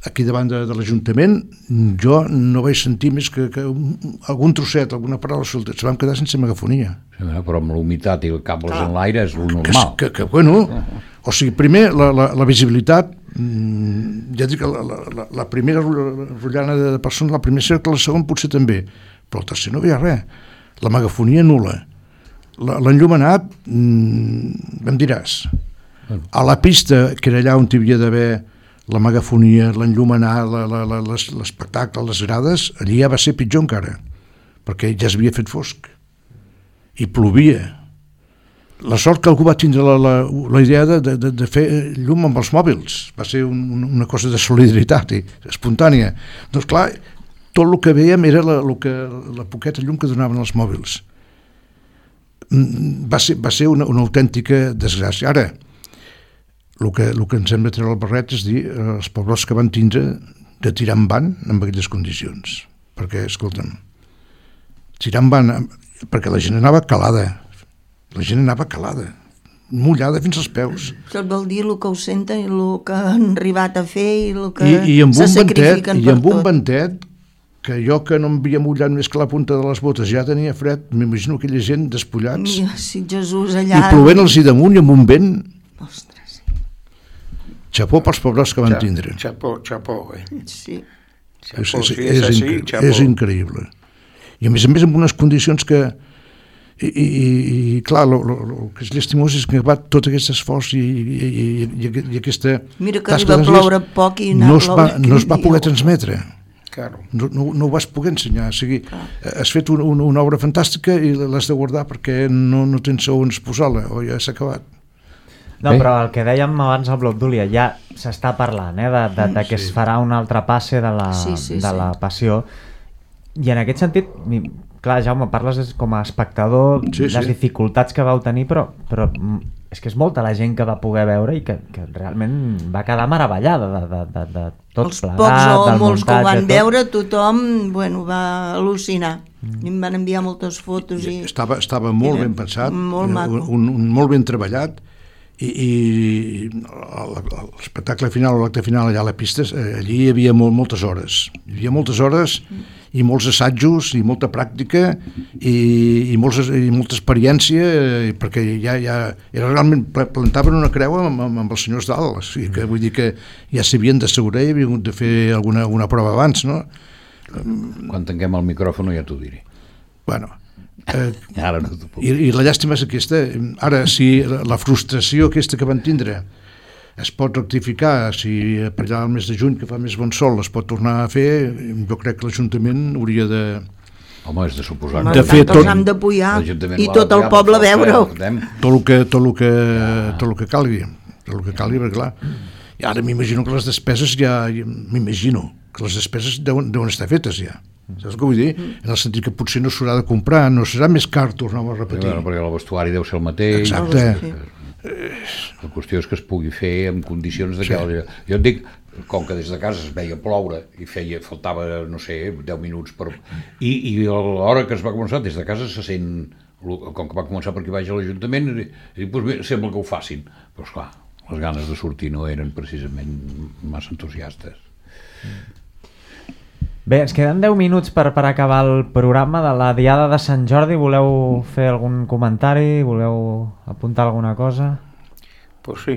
aquí davant de, de l'Ajuntament, jo no vaig sentir més que, que un, algun trosset, alguna paraula solta. Se vam quedar sense megafonia. Sí, però amb l'humitat i el cables en l'aire és el Que, normal. que, que, bueno, o sigui, primer, la, la, la visibilitat, mmm, ja dic, la, la, la primera rotllana de persones, la primera cercle, la segona potser també, però el tercer no hi havia res. La megafonia nul·la. L'enllumenat, mmm, em diràs, a la pista, que era allà on hi havia d'haver la megafonia, l'enllumenar, l'espectacle, les grades, allí ja va ser pitjor encara, perquè ja s'havia fet fosc i plovia. La sort que algú va tindre la, la, la idea de, de, de fer llum amb els mòbils, va ser un, una cosa de solidaritat i espontània. Doncs clar, tot el que veiem era la, el que, la poqueta llum que donaven els mòbils. Va ser, va ser una, una autèntica desgràcia. Ara, el que, el que ens hem de treure el barret és dir els pobles que van tindre de tirar en van en aquelles condicions. Perquè, escolta'm, tirar en van, perquè la gent anava calada, la gent anava calada, mullada fins als peus. Tot vol dir el que ho senten i el que han arribat a fer i el que I, i amb se un sacrifiquen ventet, per i amb un tot. ventet que jo que no em havia mullat més que la punta de les botes ja tenia fred, m'imagino aquella gent despullats I, si Jesús i allà... plovent-los i damunt i amb un vent. Ostres, Xapó pels pobres que van Xa- tindre. Xapó, xapó, eh? sí. És, Xapó, és, si és, és així, incre- xapó. és increïble. I a més a més amb unes condicions que i, i, i clar, el que és llastimós és que va tot aquest esforç i, i, i, i, i aquesta Mira que tasca arriba a de dies ploure poc i anar no a es va, ploure no es va aquell poder dia. transmetre. Claro. No, no, no ho vas poder ensenyar. O sigui, has fet un, un, una obra fantàstica i l'has de guardar perquè no, no tens on posar-la, o ja s'ha acabat. No, Bé. però el que dèiem abans al Bloc d'Úlia, ja s'està parlant, eh, de, de, de que es farà un altre passe de la, Sí, sí, de sí. la passió. I en aquest sentit, mi- clar, Jaume, parles des- com a espectador Sí, les sí. dificultats que vau tenir, però, però mm, és que és molta la gent que va poder veure i que, que realment va quedar meravellada de, de, de, de tot Els plegat, pocs o del molts que ho muntatge, van tot. veure, tothom bueno, va al·lucinar. Mm. I em van enviar moltes fotos i... Estava, estava molt Era ben pensat, molt eh, maco. un, un, molt ben treballat, i, i l'espectacle final, l'acte final allà a la pista, eh, allí hi havia molt, moltes hores. Hi havia moltes hores i molts assajos i molta pràctica i, i, molts, i molta experiència, eh, perquè ja, ja era realment, plantaven una creu amb, amb, amb els senyors dalt, o sigui que vull dir que ja s'havien d'assegurar i havien hagut de fer alguna, alguna prova abans, no? Quan tanquem el micròfon ja t'ho diré. Bueno, eh, Ara no t'ho puc. I, i la llàstima és aquesta. Ara, si la, la frustració aquesta que van tindre es pot rectificar, si per allà al mes de juny, que fa més bon sol, es pot tornar a fer, jo crec que l'Ajuntament hauria de... Home, és de suposar. Home, de de fer fet, tot- els hem d'apoyar l'Ajuntament i ho ha tot el d'apoyar, poble però, veure-ho. escoltem, tot el que, tot el que, tot el que calgui, tot el que calgui, perquè clar, i ara m'imagino que les despeses ja, m'imagino que les despeses deuen, deuen estar fetes ja. Saps què vull dir? En el sentit que potser no s'haurà de comprar, no serà més car, tornem a repetir. Bueno, perquè el vestuari deu ser el mateix. Exacte. Sí. La qüestió és que es pugui fer en condicions de que... Sí. Jo et dic, com que des de casa es veia ploure i feia, faltava, no sé, deu minuts per... I, i a l'hora que es va començar, des de casa se sent... Com que va començar per aquí baix a l'Ajuntament, i dic, doncs bé, sembla que ho facin. Però esclar, les ganes de sortir no eren precisament massa entusiastes. Bé, ens queden deu minuts per, per acabar el programa de la Diada de Sant Jordi. Voleu fer algun comentari? Voleu apuntar alguna cosa? Pues sí,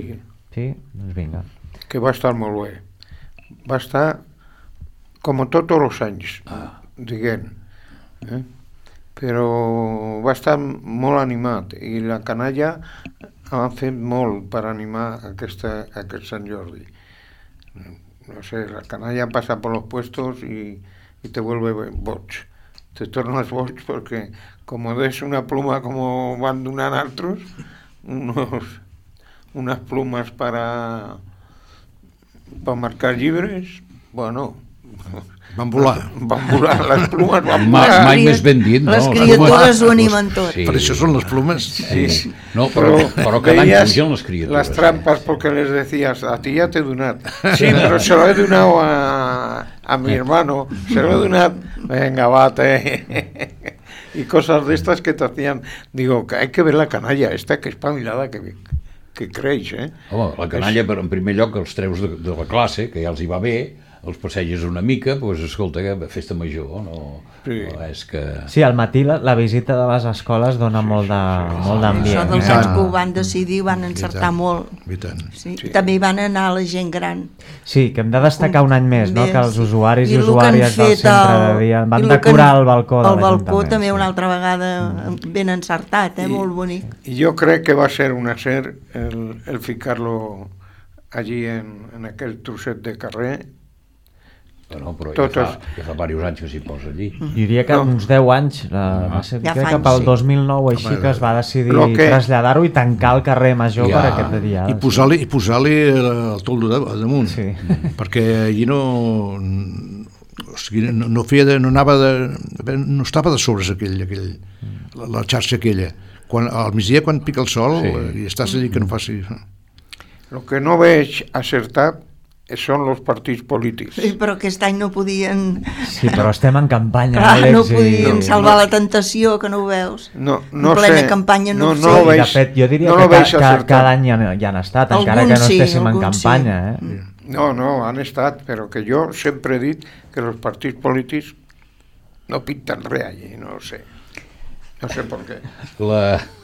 Sí? Doncs vinga. que va estar molt bé. Va estar com tots els anys, Ah. diguem. Eh? Però va estar molt animat i la canalla han fet molt per animar aquesta, aquest Sant Jordi. No sé, la canalla pasa por los puestos y, y te vuelve boig. Te tornas boig porque como des una pluma como van donant altres, unos, unas plumas para, para marcar llibres, bueno... Van volar. Van volar, les plumes van Mai, volar. mai més ben dit, no? Les Les criatures ho plumes- animen tot. Sí. Per això són les plumes. Sí. No, però, però cada any veías pugen les criatures. las trampas porque les decías, a ti ya te he donat. Sí, pero se lo he donado a, a mi hermano, se lo he donado, venga, bate. Y cosas de estas que te hacían, digo, que hay que ver la canalla esta, que espabilada que, que creix, eh? Home, la canalla, per, en primer lloc, els treus de, de la classe, que ja els hi va bé, els passeges una mica, doncs escolta, festa major, no, sí. no és que... Sí, al matí la, la visita de les escoles dona sí, molt d'ambient. Això dels anys que ho van decidir van encertar molt. I tant. Sí. Sí. També hi van anar la gent gran. Sí, que hem de destacar un any més, no? Que els usuaris i, I usuàries del centre de dia van decorar el balcó de l'Ajuntament. El balcó també sí. una altra vegada ben encertat, eh? I, molt bonic. I jo crec que va ser un acert el, el ficar-lo allí en, en aquell trosset de carrer. Bueno, però Totes... ja, fa, ja fa diversos anys que s'hi posa allí. Diria que no. uns deu anys, la, va ser, ja crec que pel dos mil nou així que es va decidir que... traslladar-ho i tancar el carrer Major ja. per aquest dia. I posar-li sí. posar el toldo de, damunt, sí. perquè allí no... O sigui, no, no, feia de, no, anava de, no estava de sobres aquell, aquell, la, la xarxa aquella. Quan, al migdia, quan pica el sol, sí. i estàs allí que no faci... El que no veig acertat són els partits polítics. Sí, però aquest any no podien... Sí, però estem en campanya, Clar, Àlex. No podien i... salvar no. la tentació, que no ho veus. No, no en plena sé. campanya no, no, no no ho veig, de fet, jo diria no que ca, ca, cada any ja, ja han estat, algun encara que no sí, estéssim en campanya. Sí. Eh? No, no, han estat, però que jo sempre he dit que els partits polítics no pinten res allí, no sé. No sé per què. La,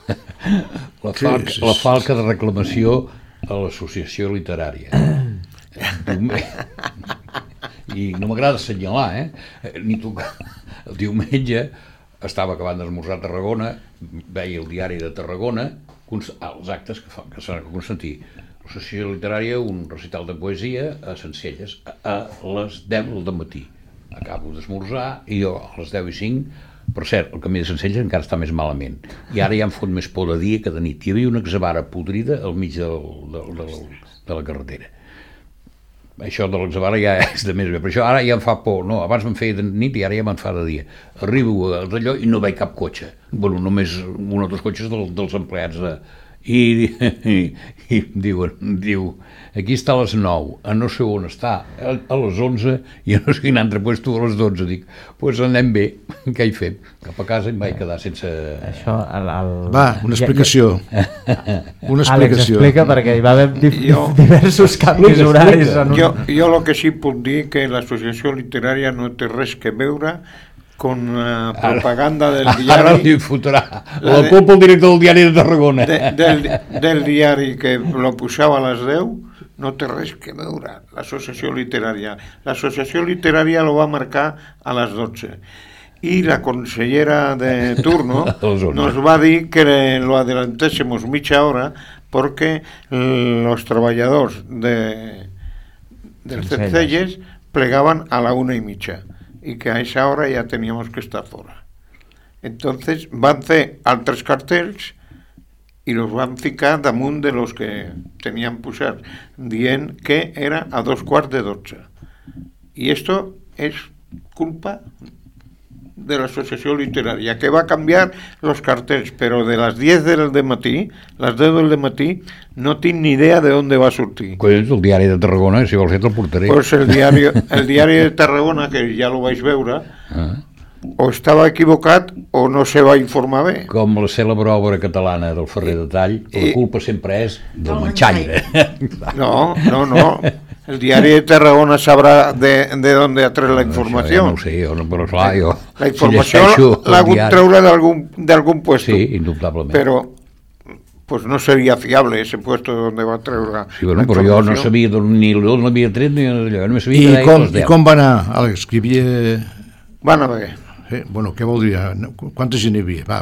la, falca, la falca de reclamació a l'associació literària. I no m'agrada assenyalar, eh? Ni tocar. El diumenge estava acabant d'esmorzar a Tarragona, veia el diari de Tarragona, els actes que fan, que s'han de Constantí. L'associació literària, un recital de poesia a Sencelles, a les deu del matí. Acabo d'esmorzar i jo a les deu i cinc, per cert, el camí de Sencelles encara està més malament. I ara ja em fot més por de dia que de nit. Hi havia una exavara podrida al mig del, del, del, de la carretera. Això de l'exavara ja és de més bé, però això ara ja em fa por, no, abans me'n feia de nit i ara ja me'n fa de dia. Arribo d'allò i no veig cap cotxe, bueno, només un o dos cotxes del, dels empleats de... I, i, i diuen, diu, aquí està a les nou, a no sé on està, a, a les onze, i a no sé quin altre puesto a les dotze. Dic, doncs pues anem bé, què hi fem? Cap a casa em vaig quedar sense... Això, el, el... Va, una explicació. Ja, ja... Una explicació. Àlex, explica, perquè hi va haver di jo... diversos canvis horaris. En un... Jo, jo el que sí puc dir que l'associació literària no té res que veure con la propaganda del diari. Ara li fotrà la de, culpa el director del diari de Tarragona. De, del, del diari que lo posava a les deu, no té res que veure l'associació literària. L'associació literària lo va marcar a les dotze. Y la consellera de turno nos va a decir que lo adelantésemos media hora porque los trabajadores de, del Sencelles plegaban a la una y media. Y que a esa hora ya teníamos que estar fuera. Entonces van a hacer altres cartells y los van a ficar damunt de los que tenían posar, dient que era a dos quarts de dotze. Y esto es culpa de la asociación literaria, que va a cambiar los cartells, pero de las diez del matí, las deu del matí, no tinc ni idea de dónde va a sortir. Collons, el diari de Tarragona, si vols ser te'l portaré. Pues el diari, el diari de Tarragona, que ja lo vaig veure, ah. o estava equivocat o no se va informar bé. Com la cèlebre obra catalana del Ferrer de Tall, la culpa sempre és del manxaire. No, no, no. El diari de Tarragona sabrà de, de dónde ha tret la informació. No, ja no ho sé, jo no, però clar, jo... La informació si l'ha hagut treure d'algun puesto. Sí, indubtablement. Però pues no seria fiable ese puesto donde va treure sí, bueno, la informació. Però jo no sabia ni d'on l'havia tret ni allò, no sabia I, com, I com va anar, Àlex, que hi havia... Va anar bé. Eh, bueno, què vol dir? Quanta gent hi havia? Va,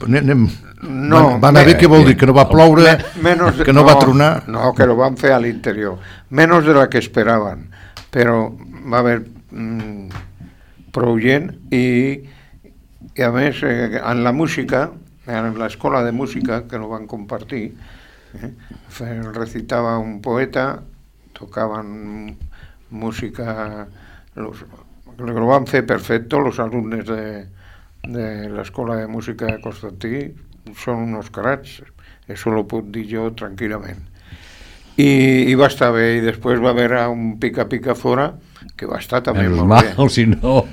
anem... No, va, va anar bé, què vol dir? Que no va ploure, menos, que no, no va tronar? No, que lo van fer a l'interior. Menos de la que esperaven. Però va haver mmm, prou gent i, i a més, eh, en la música, en l'escola de música, que no van compartir, eh, recitava un poeta, tocaven música... Los, lo van fer perfecto los alumnes de, de l'escola de música de Constantí, són unos carats, eso lo puc dir jo tranquil·lament. I, i va estar bé, i després va haver un pica-pica fora, que va estar també Menos molt mal, bé. Si no,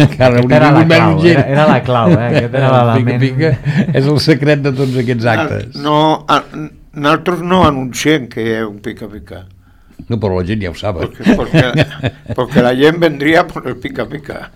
encara hauria era, la menys clau, gent. era, era la clau, eh? Aquest era l'element. Pica-pica és el secret de tots aquests actes. No, a, nosaltres no anunciem que hi ha un pica-pica. No, però la gent ja ho sap. Porque, porque, porque la gent vendria por el pica-pica.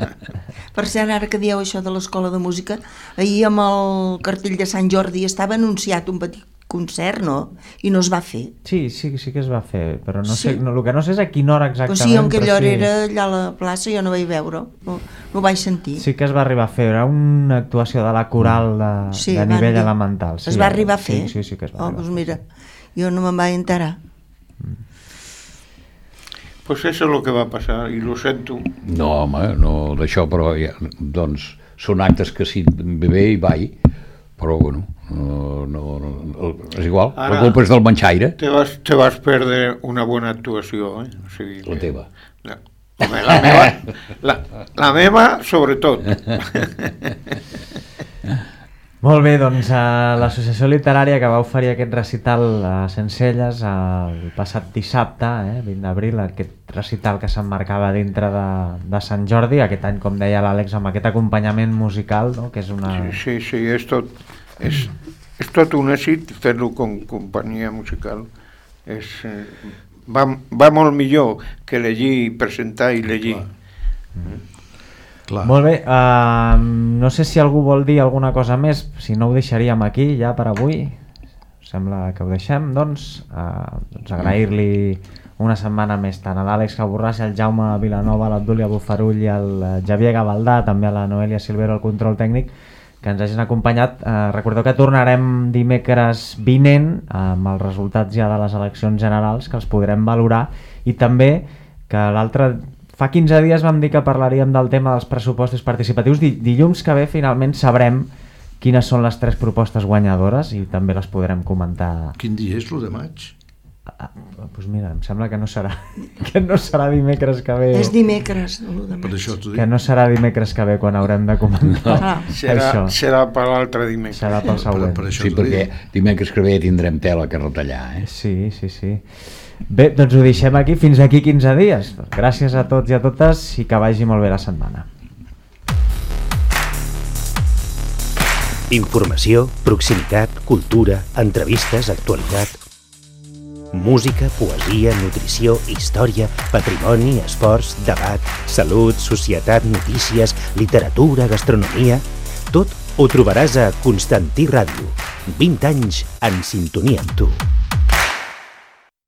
Per cert, ara que dieu això de l'escola de música, ahir amb el cartell de Sant Jordi estava anunciat un petit concert, no? I no es va fer. Sí, sí, sí que es va fer, però no sé, Sí. no, el que no sé és a quina hora exactament. Però sí, en aquella però hora sí. era allà a la plaça, jo no vaig veure, no, no ho vaig sentir. Sí que es va arribar a fer, era una actuació de la coral de, Sí, de van nivell dir- elemental. Sí, es va arribar a fer? Sí, sí, sí que es va Oh, arribar doncs a fer. mira, jo no me'n vaig enterar. Pues eso es lo que va a pasar, y lo sento. No, home, no d'això, però ja, doncs són actes que sí, ve bé i vai, però bueno, no, no, no, és igual, Ara- la culpa és del manxaire, Te vas, te vas perdre una bona actuació, eh? O sigui la que- teva. La, home, la meva, la, la meva sobretot. Molt bé, doncs uh, l'associació literària que va oferir aquest recital a Sencelles el passat dissabte, eh, vint d'abril, aquest recital que s'emmarcava dintre de, de Sant Jordi, aquest any, com deia l'Àlex, amb aquest acompanyament musical, no? Que és una... Sí, sí, és tot, és, és tot un èxit fer-lo com companyia musical. És, eh, va, va molt millor que llegir, presentar i llegir. Clar. Molt bé, uh, no sé si algú vol dir alguna cosa més, si no ho deixaríem aquí ja per avui. Sembla que ho deixem, doncs, uh, doncs agrair-li una setmana més tant a l'Àlex Caborràs, al Jaume Vilanova, a l'Abdúlia Bufarull i al eh, Xavier Gavaldà, també a la Noelia Silvero, al control tècnic, que ens hagin acompanyat. Uh, recordeu que tornarem dimecres vinent amb els resultats ja de les eleccions generals, que els podrem valorar, i també que l'altre... Fa quinze dies vam dir que parlaríem del tema dels pressupostos participatius. Di- dilluns que ve finalment sabrem quines són les tres propostes guanyadores i també les podrem comentar. Quin dia és, l'u de maig? Ah, doncs mira, em sembla que no serà que no serà dimecres que ve. És dimecres, l'u de Per maig. això t'ho Que dic. no serà dimecres que ve quan haurem de comentar Ah, Serà, això. serà per l'altre dimecres. Serà pel Per, següent. per això Sí, t'ho perquè dic. dimecres que ve tindrem tela que retallar, eh? Sí, sí, sí. Bé, doncs ho deixem aquí fins aquí quinze dies. Gràcies a tots i a totes i que vagi molt bé la setmana. Informació, proximitat, cultura, entrevistes, actualitat. Música, poesia, nutrició, història, patrimoni, esports, debat, salut, societat, notícies, literatura, gastronomia... Tot ho trobaràs a Constantí Ràdio. vint anys en sintonia amb tu.